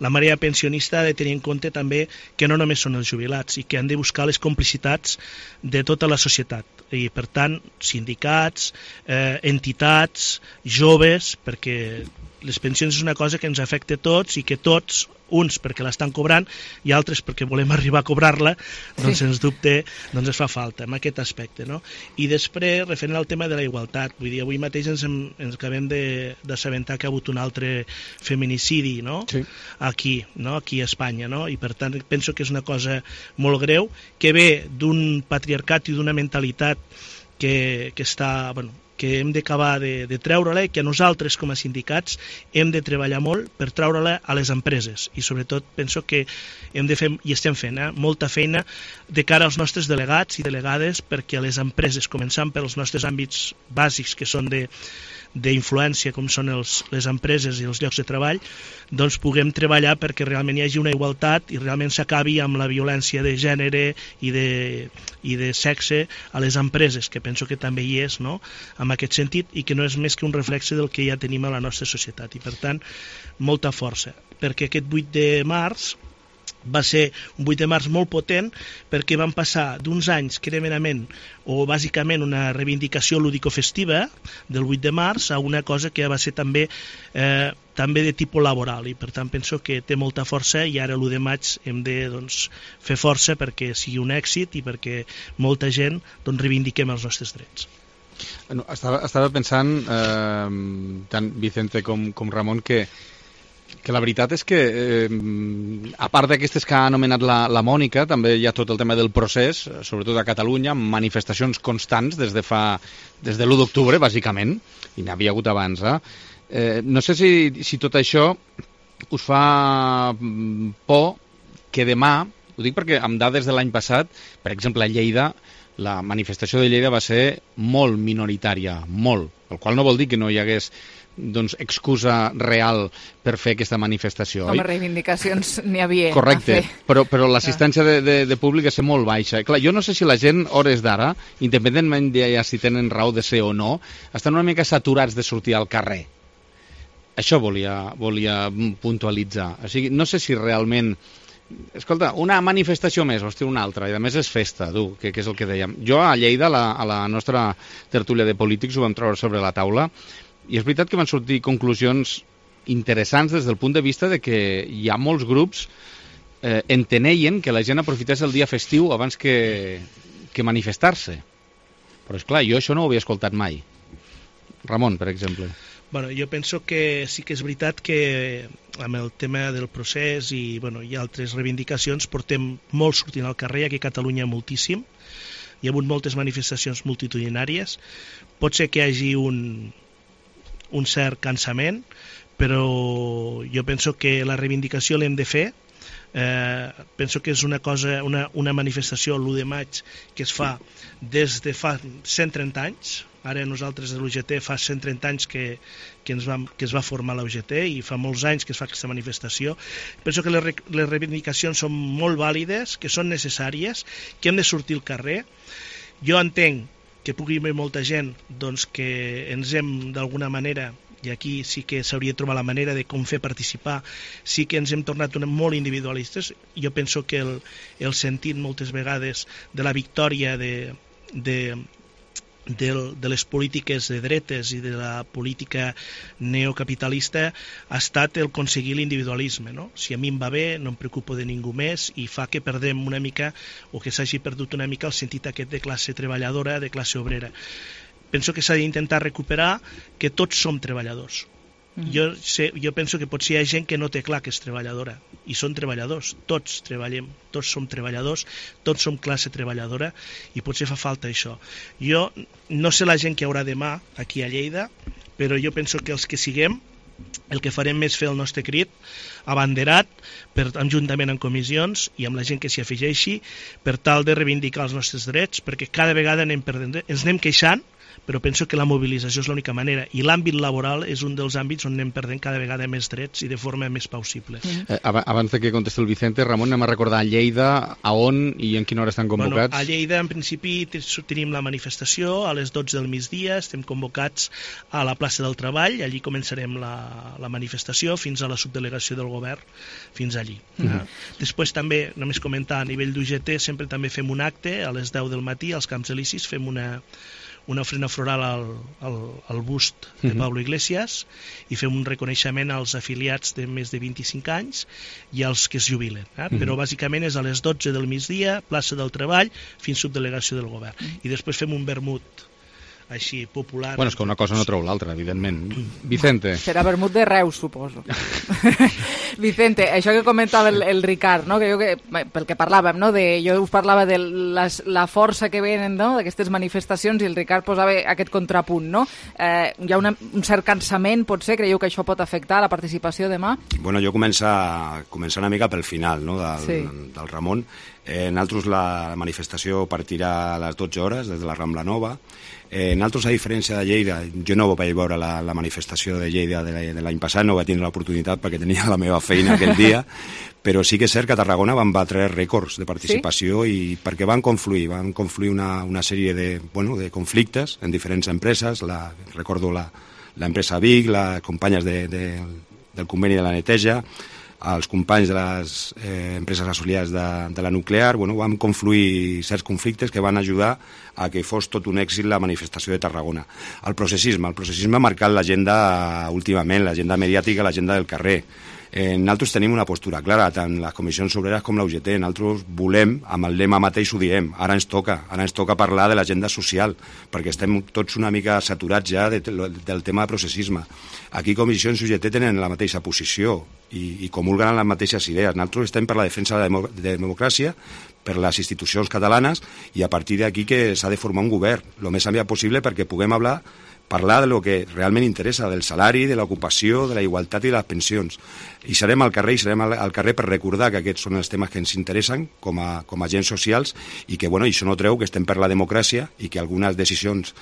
la marea pensionista ha de tenir en compte també que no només són els jubilats, i que han de buscar les complicitats de tota la societat, i per tant sindicats, entitats, joves, perquè les pensions és una cosa que ens afecta a tots, i que tots, uns perquè l'estan cobrant i altres perquè volem arribar a cobrar-la, doncs sens dubte ens fa falta en aquest aspecte, no? I després, referent al tema de la igualtat, vull dir, avui mateix ens acabem d'assabentar que ha hagut un altre feminicidi, no? Sí. Aquí a Espanya, no? I per tant penso que és una cosa molt greu, que ve d'un patriarcat i d'una mentalitat que està, que hem d'acabar de treure-la, i que nosaltres com a sindicats hem de treballar molt per treure-la a les empreses, i sobretot penso que hem de fer, i estem fent, molta feina de cara als nostres delegats i delegades, perquè les empreses, començant pels nostres àmbits bàsics que són d'influència, com són les empreses i els llocs de treball, doncs puguem treballar perquè realment hi hagi una igualtat i realment s'acabi amb la violència de gènere i de sexe a les empreses, que penso que també hi és, no?, en aquest sentit, i que no és més que un reflexe del que ja tenim a la nostra societat. I per tant, molta força, perquè aquest 8 de març va ser un 8 de març molt potent, perquè van passar d'uns anys que era merament o bàsicament una reivindicació lúdico-festiva del 8 de març a una cosa que va ser també de tipus laboral, i per tant penso que té molta força, i ara l'1 de maig hem de fer força perquè sigui un èxit i perquè molta gent reivindiquem els nostres drets. Estava pensant, tant Vicente com Ramon, que la veritat és que, a part d'aquestes que ha anomenat la Mònica, també hi ha tot el tema del procés, sobretot a Catalunya, amb manifestacions constants des de l'1 d'octubre, bàsicament, i n'havia hagut abans. No sé si tot això us fa por que demà, ho dic perquè amb dades de l'any passat, per exemple a Lleida, la manifestació de Lleida va ser molt minoritària, molt, el qual no vol dir que no hi hagués excusa real per fer aquesta manifestació. Home, reivindicacions n'hi havia. Correcte, però l'assistència de públic és molt baixa. Clar, jo no sé si la gent, hores d'ara, independentment de si tenen raó de ser o no, estan una mica saturats de sortir al carrer. Això volia puntualitzar. O sigui, no sé si realment... Escolta, una manifestació més, hòstia, una altra, i a més és festa, que és el que dèiem. Jo a Lleida, a la nostra tertúlia de polítics, ho vam treure sobre la taula, i és veritat que van sortir conclusions interessants des del punt de vista de que hi ha molts grups enteneien que la gent aprofités el dia festiu abans que manifestar-se. Però és clar, jo això no ho havia escoltat mai. Ramon, per exemple. Bueno, jo penso que sí que és veritat que amb el tema del procés i altres reivindicacions portem molt sortint al carrer, aquí a Catalunya moltíssim, hi ha hagut moltes manifestacions multitudinàries, pot ser que hi hagi un cert cansament, però jo penso que la reivindicació l'hem de fer. Penso que és una manifestació l'1 de maig que es fa des de fa 130 anys, Ara nosaltres a l'UGT fa 130 anys que es va formar la UGT i fa molts anys que es fa aquesta manifestació. Penso que les reivindicacions són molt vàlides, que són necessàries, que hem de sortir al carrer. Jo entenc que pugui haver molta gent doncs, que ens hem d'alguna manera, i aquí sí que s'hauria de trobar la manera de com fer participar, sí que ens hem tornat molt individualistes. Jo penso que el sentit moltes vegades de la victòria de les polítiques de dretes i de la política neocapitalista ha estat el aconseguir l'individualisme, no? Si a mi em va bé, no em preocupo de ningú més, i fa que perdem una mica, o que s'hagi perdut una mica el sentit aquest de classe treballadora, de classe obrera. Penso que s'ha d'intentar recuperar que tots som treballadors. Jo penso que potser hi ha gent que no té clar que és treballadora, i són treballadors, tots treballem, tots som treballadors, tots som classe treballadora, i potser fa falta això. Jo no sé la gent que hi haurà demà aquí a Lleida, però jo penso que els que siguem, el que farem és fer el nostre crit abanderat, juntament amb comissions i amb la gent que s'hi afegeixi, per tal de reivindicar els nostres drets, perquè cada vegada anem perdent, ens anem queixant, però penso que la mobilització és l'única manera, i l'àmbit laboral és un dels àmbits on anem perdent cada vegada més drets i de forma més plausible. Abans de que contesti el Vicente, Ramon, anem a recordar a Lleida a on i en quina hora estan convocats? A Lleida, en principi, tenim la manifestació a les 12 del migdia, estem convocats a la plaça del Treball, allí començarem la manifestació fins a la subdelegació del govern, fins allí. Després també, només comentar, a nivell d'UGT sempre també fem un acte a les 10 del matí als Camps Elisis, fem una ofrena floral al bust de Pablo Iglesias i fem un reconeixement als afiliats de més de 25 anys i als que es jubilen. Però bàsicament és a les 12 del migdia, plaça del Treball, fins subdelegació del govern. I després fem un vermut així popular. Bueno, és que una cosa no treu l'altra, evidentment. Vicente. Serà vermut de Reus, suposo. Vicente, això que comentava el Ricard, no? Pel que parlàvem, no? Jo us parlava de la força que venen, no? D'aquestes manifestacions, i el Ricard posava aquest contrapunt, no? Hi ha un cert cansament, potser? Creieu que això pot afectar la participació demà? Bueno, jo començar una mica pel final, no? Del Ramon. Nosaltres la manifestació partirà a les 12 hores des de la Rambla Nova. Nosaltres, a diferència de Lleida, jo no vaig veure la manifestació de Lleida de l'any passat, no vaig tindre l'oportunitat perquè tenia la meva feina aquell dia, però sí que és cert que a Tarragona van batre rècords de participació, i perquè van confluir una sèrie de conflictes en diferents empreses. Recordo l'empresa Vic, les companyes del conveni de la neteja, els companys de les empreses associades de la nuclear, van confluir certs conflictes que van ajudar a que fos tot un èxit la manifestació de Tarragona. El processisme ha marcat l'agenda últimament, l'agenda mediàtica, l'agenda del carrer. Nosaltres tenim una postura clara, tant les comissions obreres com la UGT. Nosaltres volem, amb el lema mateix ho diem, ara ens toca parlar de l'agenda social, perquè estem tots una mica saturats ja del tema de processisme. Aquí comissions i UGT tenen la mateixa posició i comulguen en les mateixes idees. Nosaltres estem per la defensa de la democràcia, per les institucions catalanes, i a partir d'aquí que s'ha de formar un govern el més aviat possible perquè puguem parlar de lo que realment interessa, del salari, de l'ocupació, de la igualtat i de les pensions. I serem al carrer per recordar que aquests són els temes que ens interessen com a agents socials, i que això no treu que estem per la democràcia i que algunes decisions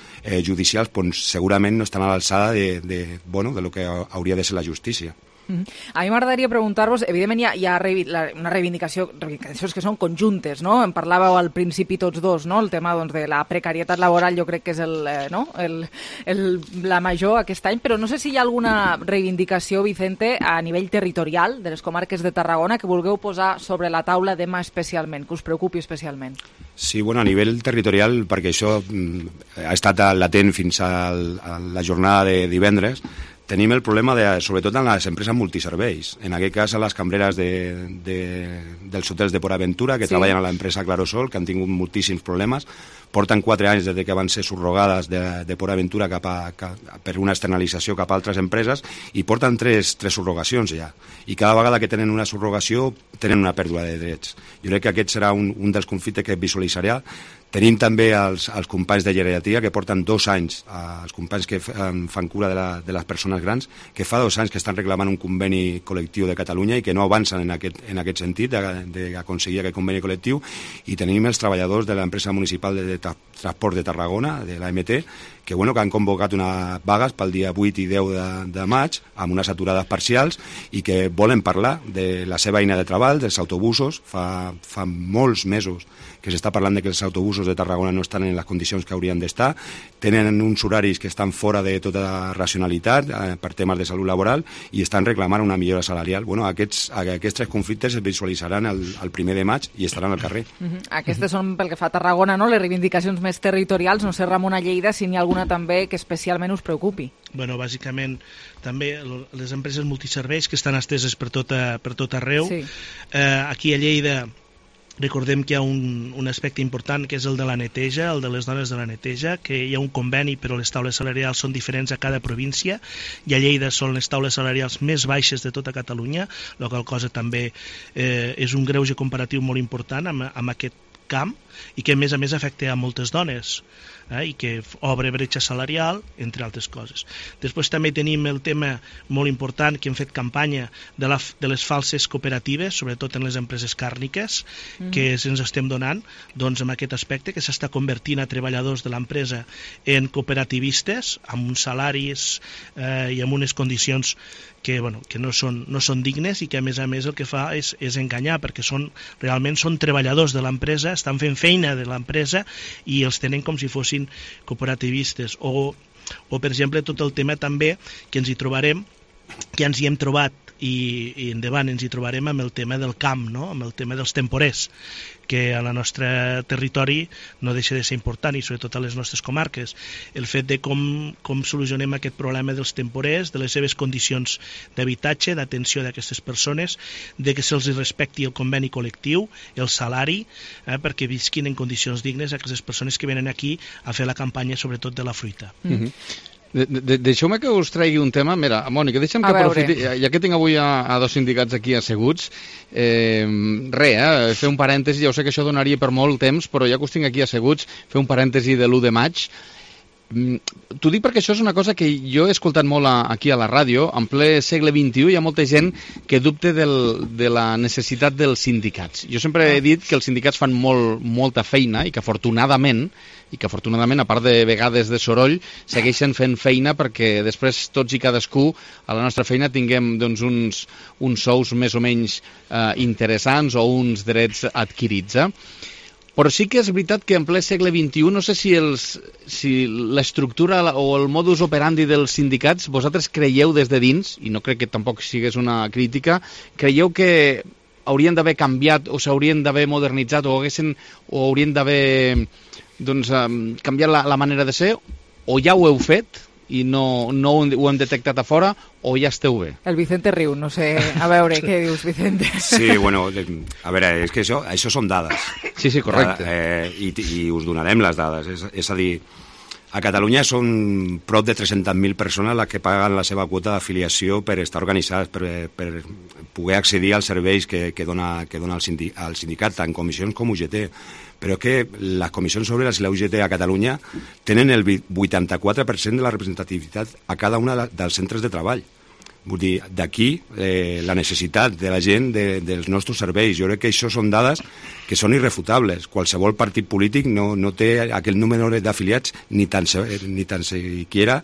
judicials segurament no estan a l'alçada de lo que hauria de ser la justícia. A mi m'agradaria preguntar-vos, evidentment hi ha una reivindicacions que són conjuntes, no? En parlàveu al principi tots dos, no? El tema de la precarietat laboral jo crec que és la major aquest any, però no sé si hi ha alguna reivindicació, Vicente, a nivell territorial de les comarques de Tarragona que vulgueu posar sobre la taula demà especialment, que us preocupi especialment. Sí, a nivell territorial, perquè això ha estat latent fins a la jornada de divendres. Tenim el problema, sobretot en les empreses multiserveis, en aquest cas a les cambreres dels hotels de Port Aventura, que treballen a l'empresa Clarosol, que han tingut moltíssims problemes. Porten 4 anys des que van ser subrogades de Port Aventura per una externalització cap a altres empreses, i porten 3 subrogacions ja. I cada vegada que tenen una subrogació tenen una pèrdua de drets. Jo crec que aquest serà un dels conflictes que visualitzarà. Tenim també els companys de geriatria, que porten 2 anys, els companys que fan cura de les persones grans, que fa 2 anys que estan reclamant un conveni col·lectiu de Catalunya i que no avancen en aquest sentit d'aconseguir aquest conveni col·lectiu. I tenim els treballadors de l'empresa municipal de Transport de Tarragona, de l'AMT, que han convocat unes vagues pel dia 8 i 10 de maig, amb unes aturades parcials, i que volen parlar de la seva eina de treball, dels autobusos. Fa molts mesos que s'està parlant de que els autobusos de Tarragona no estan en les condicions que haurien d'estar, tenen uns horaris que estan fora de tota racionalitat per temes de salut laboral i estan reclamant una millora salarial. Aquests 3 conflictes es visualitzaran el 1 de maig i estaran al carrer. Aquestes són, pel que fa a Tarragona, no? Les reivindicacions més territorials. No sé, Ramon, a Lleida, si n'hi ha alguna també que especialment us preocupi. Bueno, bàsicament, també les empreses multiserveis que estan esteses per tot arreu. Sí. Aquí a Lleida recordem que hi ha un aspecte important que és el de la neteja, el de les dones de la neteja, que hi ha un conveni però les taules salarials són diferents a cada província i a Lleida són les taules salarials més baixes de tota Catalunya, la qual cosa també és un greuge comparatiu molt important amb aquest camp i que a més afecta a moltes dones i que obre bretxa salarial, entre altres coses. Després també tenim el tema molt important que hem fet campanya de les falses cooperatives, sobretot en les empreses càrniques, que ens estem donant amb aquest aspecte, que s'està convertint a treballadors de l'empresa en cooperativistes, amb uns salaris i amb unes condicions que no són dignes i que a més el que fa és enganyar, perquè realment són treballadors de l'empresa, estan fent feina de l'empresa i els tenen com si fossin cooperativistes. O per exemple, tot el tema també que ens hi trobarem, que ens hi hem trobat i endavant ens hi trobarem amb el tema del camp, no? Amb el tema dels temporers, que al nostre territori no deixa de ser important, i sobretot a les nostres comarques. El fet de com solucionem aquest problema dels temporers, de les seves condicions d'habitatge, d'atenció d'aquestes persones, de que se'ls respecti el conveni col·lectiu, el salari, perquè visquin en condicions dignes aquestes persones que venen aquí a fer la campanya sobretot de la fruita. Deixeu-me que us tregui un tema. Mira, Mònica, deixa'm que aprofiti, ja que tinc avui a dos sindicats aquí asseguts, fer un parèntesi. Ja ho sé que això donaria per molt temps, però ja que us tinc aquí asseguts, fer un parèntesi de l'1 de maig. T'ho dic perquè això és una cosa que jo he escoltat molt aquí a la ràdio. En ple segle XXI hi ha molta gent que dubte de la necessitat dels sindicats. Jo sempre he dit que els sindicats fan molta feina i que afortunadament, a part de vegades de soroll, segueixen fent feina perquè després tots i cadascú a la nostra feina tinguem uns sous més o menys interessants o uns drets adquirits. Però sí que és veritat que en ple segle XXI, no sé si l'estructura o el modus operandi dels sindicats, vosaltres creieu des de dins, i no crec que tampoc sigués una crítica, creieu que haurien d'haver canviat o s'haurien d'haver modernitzat o haurien d'haver canviat la manera de ser, o ja ho heu fet i no ho hem detectat a fora, o ja esteu bé? El Vicente riu, no sé, a veure, què dius, Vicente? Sí, bueno, a veure, és que això són dades. Sí, correcte. I us donarem les dades, és a dir, a Catalunya són prop de 300.000 persones les que paguen la seva quota d'afiliació per estar organitzades, per poder accedir als serveis que dona el sindicat, tant comissions com UGT. Però que les comissions obreres i la UGT a Catalunya tenen el 84% de la representativitat a cada una dels centres de treball. Vull dir, d'aquí la necessitat de la gent dels nostres serveis. Jo crec que això són dades que són irrefutables. Qualsevol partit polític no té aquell número d'afiliats ni tan siquiera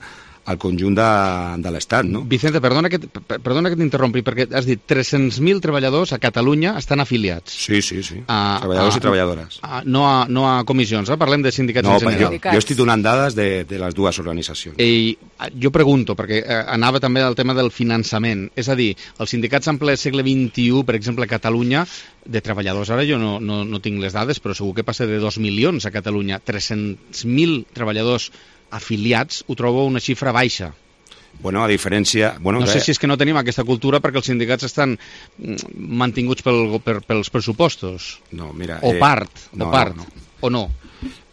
al conjunt de l'Estat, no? Vicente, perdona que t'interrompi, perquè has dit 300.000 treballadors a Catalunya estan afiliats. Sí. Treballadors i treballadores. No a comissions, parlem de sindicats en general. Jo estic donant dades de les dues organitzacions. I jo pregunto, perquè anava també al tema del finançament, és a dir, els sindicats en ple segle XXI, per exemple a Catalunya, de treballadors, ara jo no tinc les dades, però segur que passa de 2 milions a Catalunya. 300.000 treballadors afiliats, ho trobo una xifra baixa. Bueno, a diferència... No sé si és que no tenim aquesta cultura perquè els sindicats estan mantinguts pels pressupostos. No, mira... O o no.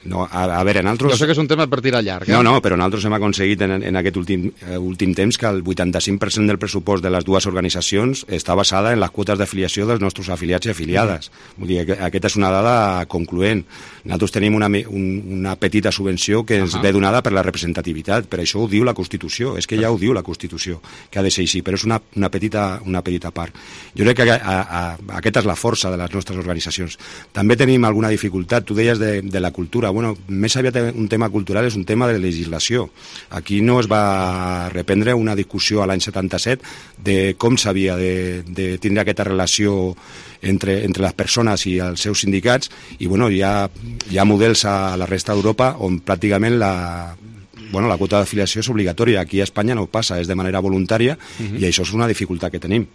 No, a veure, nosaltres... Jo sé que és un tema per tirar llarg. No, però nosaltres hem aconseguit en aquest últim temps que el 85% del pressupost de les dues organitzacions està basada en les quotes d'afiliació dels nostres afiliats i afiliades. Vull dir, aquesta és una dada concloent. Nosaltres tenim una petita subvenció que ens ve donada per la representativitat, per això ho diu la Constitució, és que ja ho diu la Constitució, que ha de ser així, però és una petita part. Jo crec que aquesta és la força de les nostres organitzacions. També tenim alguna dificultat, tu deies de la cultura. bueno, més aviat un tema cultural, és un tema de legislació. Aquí no es va reprendre una discussió a l'any 77 de com s'havia de tindre aquesta relació entre les persones i els seus sindicats, i bueno, hi ha models a la resta d'Europa on pràcticament la quota d'afiliació és obligatòria. Aquí a Espanya no passa, és de manera voluntària, i això és una dificultat que tenim.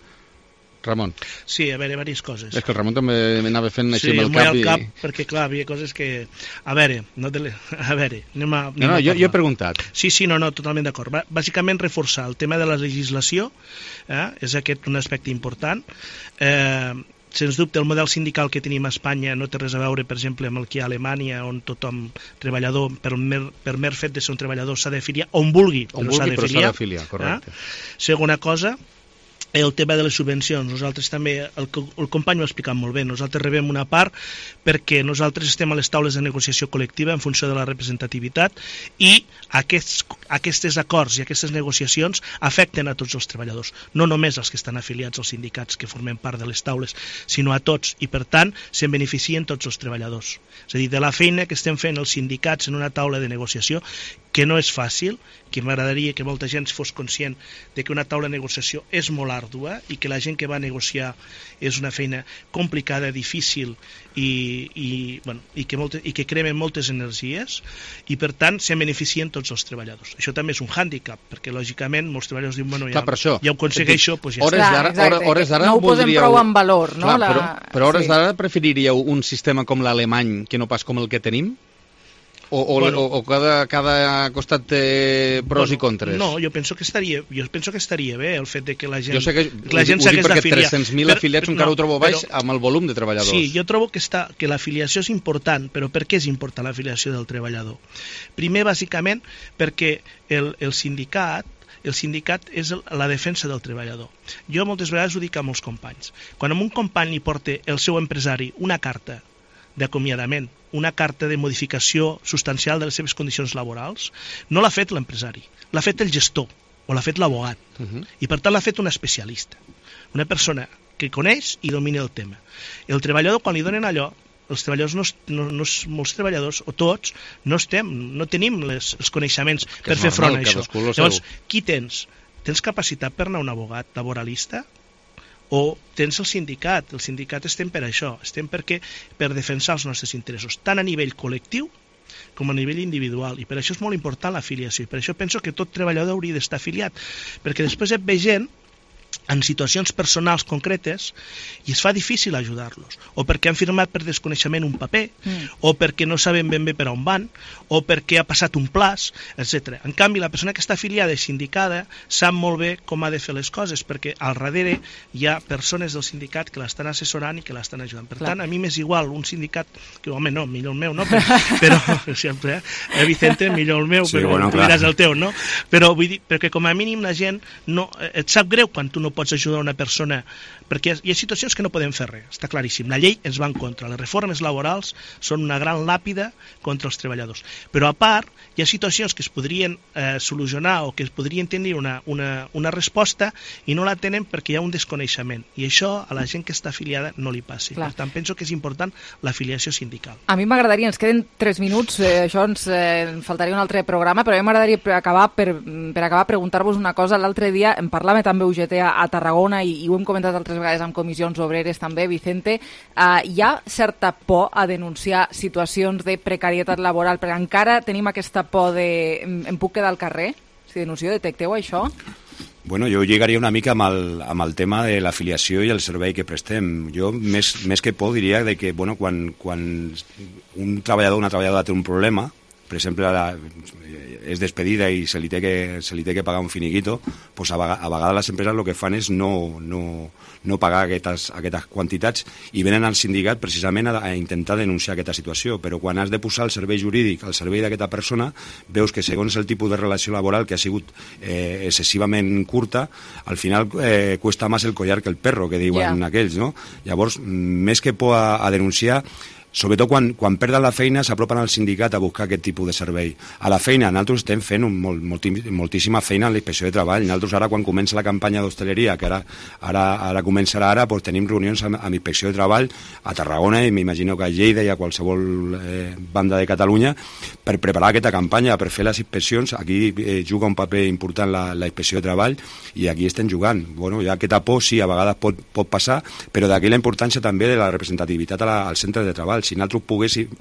Ramon. Sí, a veure, diverses coses. És que el Ramon també m'anava fent així amb el cap. Sí, cap, perquè clar, havia coses que... A veure, anem a... No, jo he preguntat. Sí, no, totalment d'acord. Bàsicament reforçar el tema de la legislació, és aquest un aspecte important. Sens dubte, el model sindical que tenim a Espanya no té res a veure, per exemple, amb el que hi ha a Alemanya, on tothom, treballador, per mer fet de ser un treballador, s'ha d'afiliar, on vulgui, però s'ha d'afiliar. Correcte. Segona cosa, el tema de les subvencions. Nosaltres també, el company ho ha explicat molt bé, nosaltres rebem una part perquè nosaltres estem a les taules de negociació col·lectiva en funció de la representativitat, i aquests acords i aquestes negociacions afecten a tots els treballadors, no només als que estan afiliats als sindicats que formem part de les taules, sinó a tots, i per tant se'n beneficien tots els treballadors. És a dir, de la feina que estem fent els sindicats en una taula de negociació, que no és fàcil, que m'agradaria que molta gent fos conscient de que una taula de negociació és molt àrdua i que la gent que va a negociar és una feina complicada, difícil i que crema moltes energies, i per tant se'n beneficien tots els treballadors. Això també és un hàndicap, perquè lògicament molts treballadors diuen, bueno, ja ho aconsegueixo, doncs ja està. No ho posem prou en valor, no? Però hores d'ara preferiríeu un sistema com l'alemany que no pas com el que tenim? O cada costat té pros i contres? No, jo penso que estaria bé el fet de que la gent... Jo sé que la gent s'hagués d'afiliar. Perquè 300.000 afiliats encara ho trobo baix amb el volum de treballadors. Sí, jo trobo que l'afiliació és important, però per què és important l'afiliació del treballador? Primer, bàsicament, perquè el sindicat és la defensa del treballador. Jo moltes vegades ho dic a molts companys. Quan a un company li porta el seu empresari una carta d'acomiadament, una carta de modificació substancial de les seves condicions laborals, no l'ha fet l'empresari, l'ha fet el gestor o l'ha fet l'abogat, i per tant l'ha fet un especialista, una persona que coneix i domina el tema. El treballador, quan li donen allò, els treballadors, molts treballadors, o tots, no tenim els coneixements per fer front a això. Llavors, qui tens? Tens capacitat per anar a un abogat laboralista? O tens el sindicat estem per això, estem per defensar els nostres interessos, tant a nivell col·lectiu com a nivell individual, i per això és molt important l'afiliació, i per això penso que tot treballador hauria d'estar afiliat, perquè després et ve gent en situacions personals concretes i es fa difícil ajudar-los, o perquè han firmat per desconeixement un paper, o perquè no saben ben bé per on van, o perquè ha passat un plaç, etc. En canvi, la persona que està afiliada i sindicada sap molt bé com ha de fer les coses, perquè al darrere hi ha persones del sindicat que l'estan assessorant i que l'estan ajudant. Per tant, a mi m'és igual un sindicat, que home, no, millor el meu, no? Però sempre, Vicente, millor el meu, sí, però tu diràs el teu, no? Però vull dir, perquè com a mínim la gent et sap greu quan tu no pots ajudar una persona, perquè hi ha situacions que no podem fer res, està claríssim, la llei ens va en contra, les reformes laborals són una gran làpida contra els treballadors, però a part hi ha situacions que es podrien solucionar o que es podrien tenir una resposta i no la tenen perquè hi ha un desconeixement, i això a la gent que està afiliada no li passi. Per tant, penso que és important l'afiliació sindical. A mi m'agradaria, ens queden 3 minuts, això ens faltaria un altre programa, però a mi m'agradaria acabar per acabar preguntar-vos una cosa. L'altre dia en parlava també UGT a Tarragona i ho hem comentat altres vegades amb comissions obreres també, Vicente, hi ha certa por a denunciar situacions de precarietat laboral, perquè encara tenim aquesta por de em puc quedar al carrer? Si denuncio, detecteu això? Bueno, jo lligaria una mica amb el tema de l'afiliació i el servei que prestem. Jo, més que por, diria de que bueno, quan un treballador o una treballadora té un problema, per exemple, és despedida i se li té que pagar un finiquito, doncs a vegades les empreses el que fan és no pagar aquestes quantitats i venen al sindicat precisament a intentar denunciar aquesta situació. Però quan has de posar el servei jurídic al servei d'aquesta persona, veus que segons el tipus de relació laboral que ha sigut excessivament curta, al final cuesta más el collar que el perro, que diuen aquells, no? Llavors, més que por a denunciar, sobretot quan perden la feina s'apropen al sindicat a buscar aquest tipus de servei. A la feina, nosaltres estem fent moltíssima feina en la inspecció de treball. Nosaltres ara, quan comença la campanya d'hostaleria, que ara començarà ara, doncs tenim reunions amb inspecció de treball a Tarragona i m'imagino que a Lleida i a qualsevol banda de Catalunya per preparar aquesta campanya, per fer les inspeccions. Aquí juga un paper important la inspecció de treball i aquí estem jugant. Bueno, ja aquesta por sí, a vegades pot passar, però d'aquí la importància també de la representativitat al centre de treball. Si nosaltres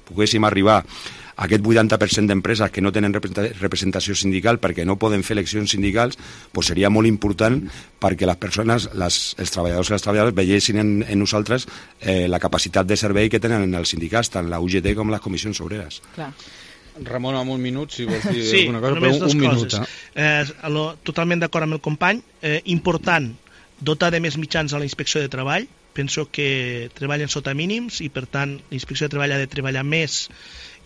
poguéssim arribar a aquest 80% d'empreses que no tenen representació sindical perquè no poden fer eleccions sindicals, doncs seria molt important perquè les persones, els treballadors i les treballadores veiessin en nosaltres la capacitat de servei que tenen els sindicats, tant la UGT com les comissions obreres. Clar. Ramon, en un minut, si vols dir sí, alguna cosa, però un minut. Totalment d'acord amb el company. Important dotar de més mitjans a la inspecció de treball. Penso que treballen sota mínims i, per tant, la inspecció de treball ha de treballar més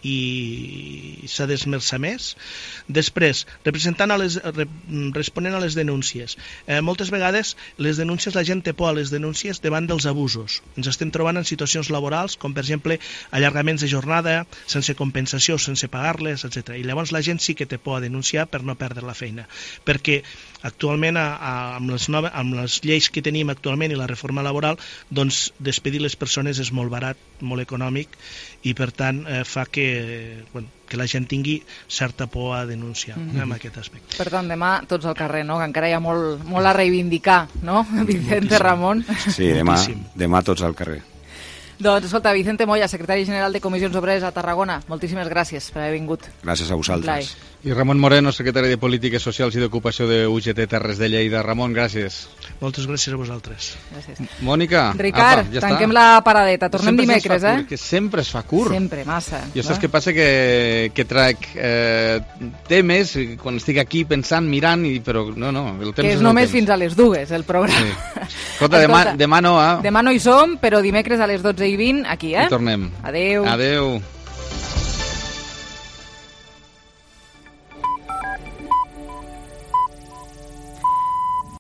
i s'ha d'esmerçar més. Després, responent a les denúncies. Moltes vegades les denúncies, la gent té por a les denúncies davant dels abusos. Ens estem trobant en situacions laborals, com per exemple allargaments de jornada, sense compensació, sense pagar-les, etc. I llavors la gent sí que té por a denunciar per no perdre la feina. Perquè actualment, amb les lleis que tenim actualment i la reforma laboral, doncs despedir les persones és molt barat, molt econòmic, i per tant fa que la gent tingui certa por a denunciar en aquest aspecte. Per tant, demà tots al carrer, no? Que encara hi ha molt a reivindicar, no? Vicente Ramon. Sí, demà tots al carrer. Doncs, escolta, Vicente Moya, secretari general de Comissions Obreres a Tarragona, moltíssimes gràcies per haver vingut. Gràcies a vosaltres. I Ramon Moreno, secretari de Polítiques Socials i d'Ocupació de UGT Terres de Lleida. Ramon, gràcies. Moltes gràcies a vosaltres. Gràcies. Mònica, Ricard, ja tanquem la paradeta. Tornem dimecres, Que sempre es fa curt. Sempre, massa. Jo saps què passa? Que trec temes quan estic aquí pensant, mirant, però no, el temps que és només fins a les 2, el programa. Sí. Escolta, demà no, Demà no hi som, però dimecres a les 12:20 aquí, I tornem. Adéu. Adéu.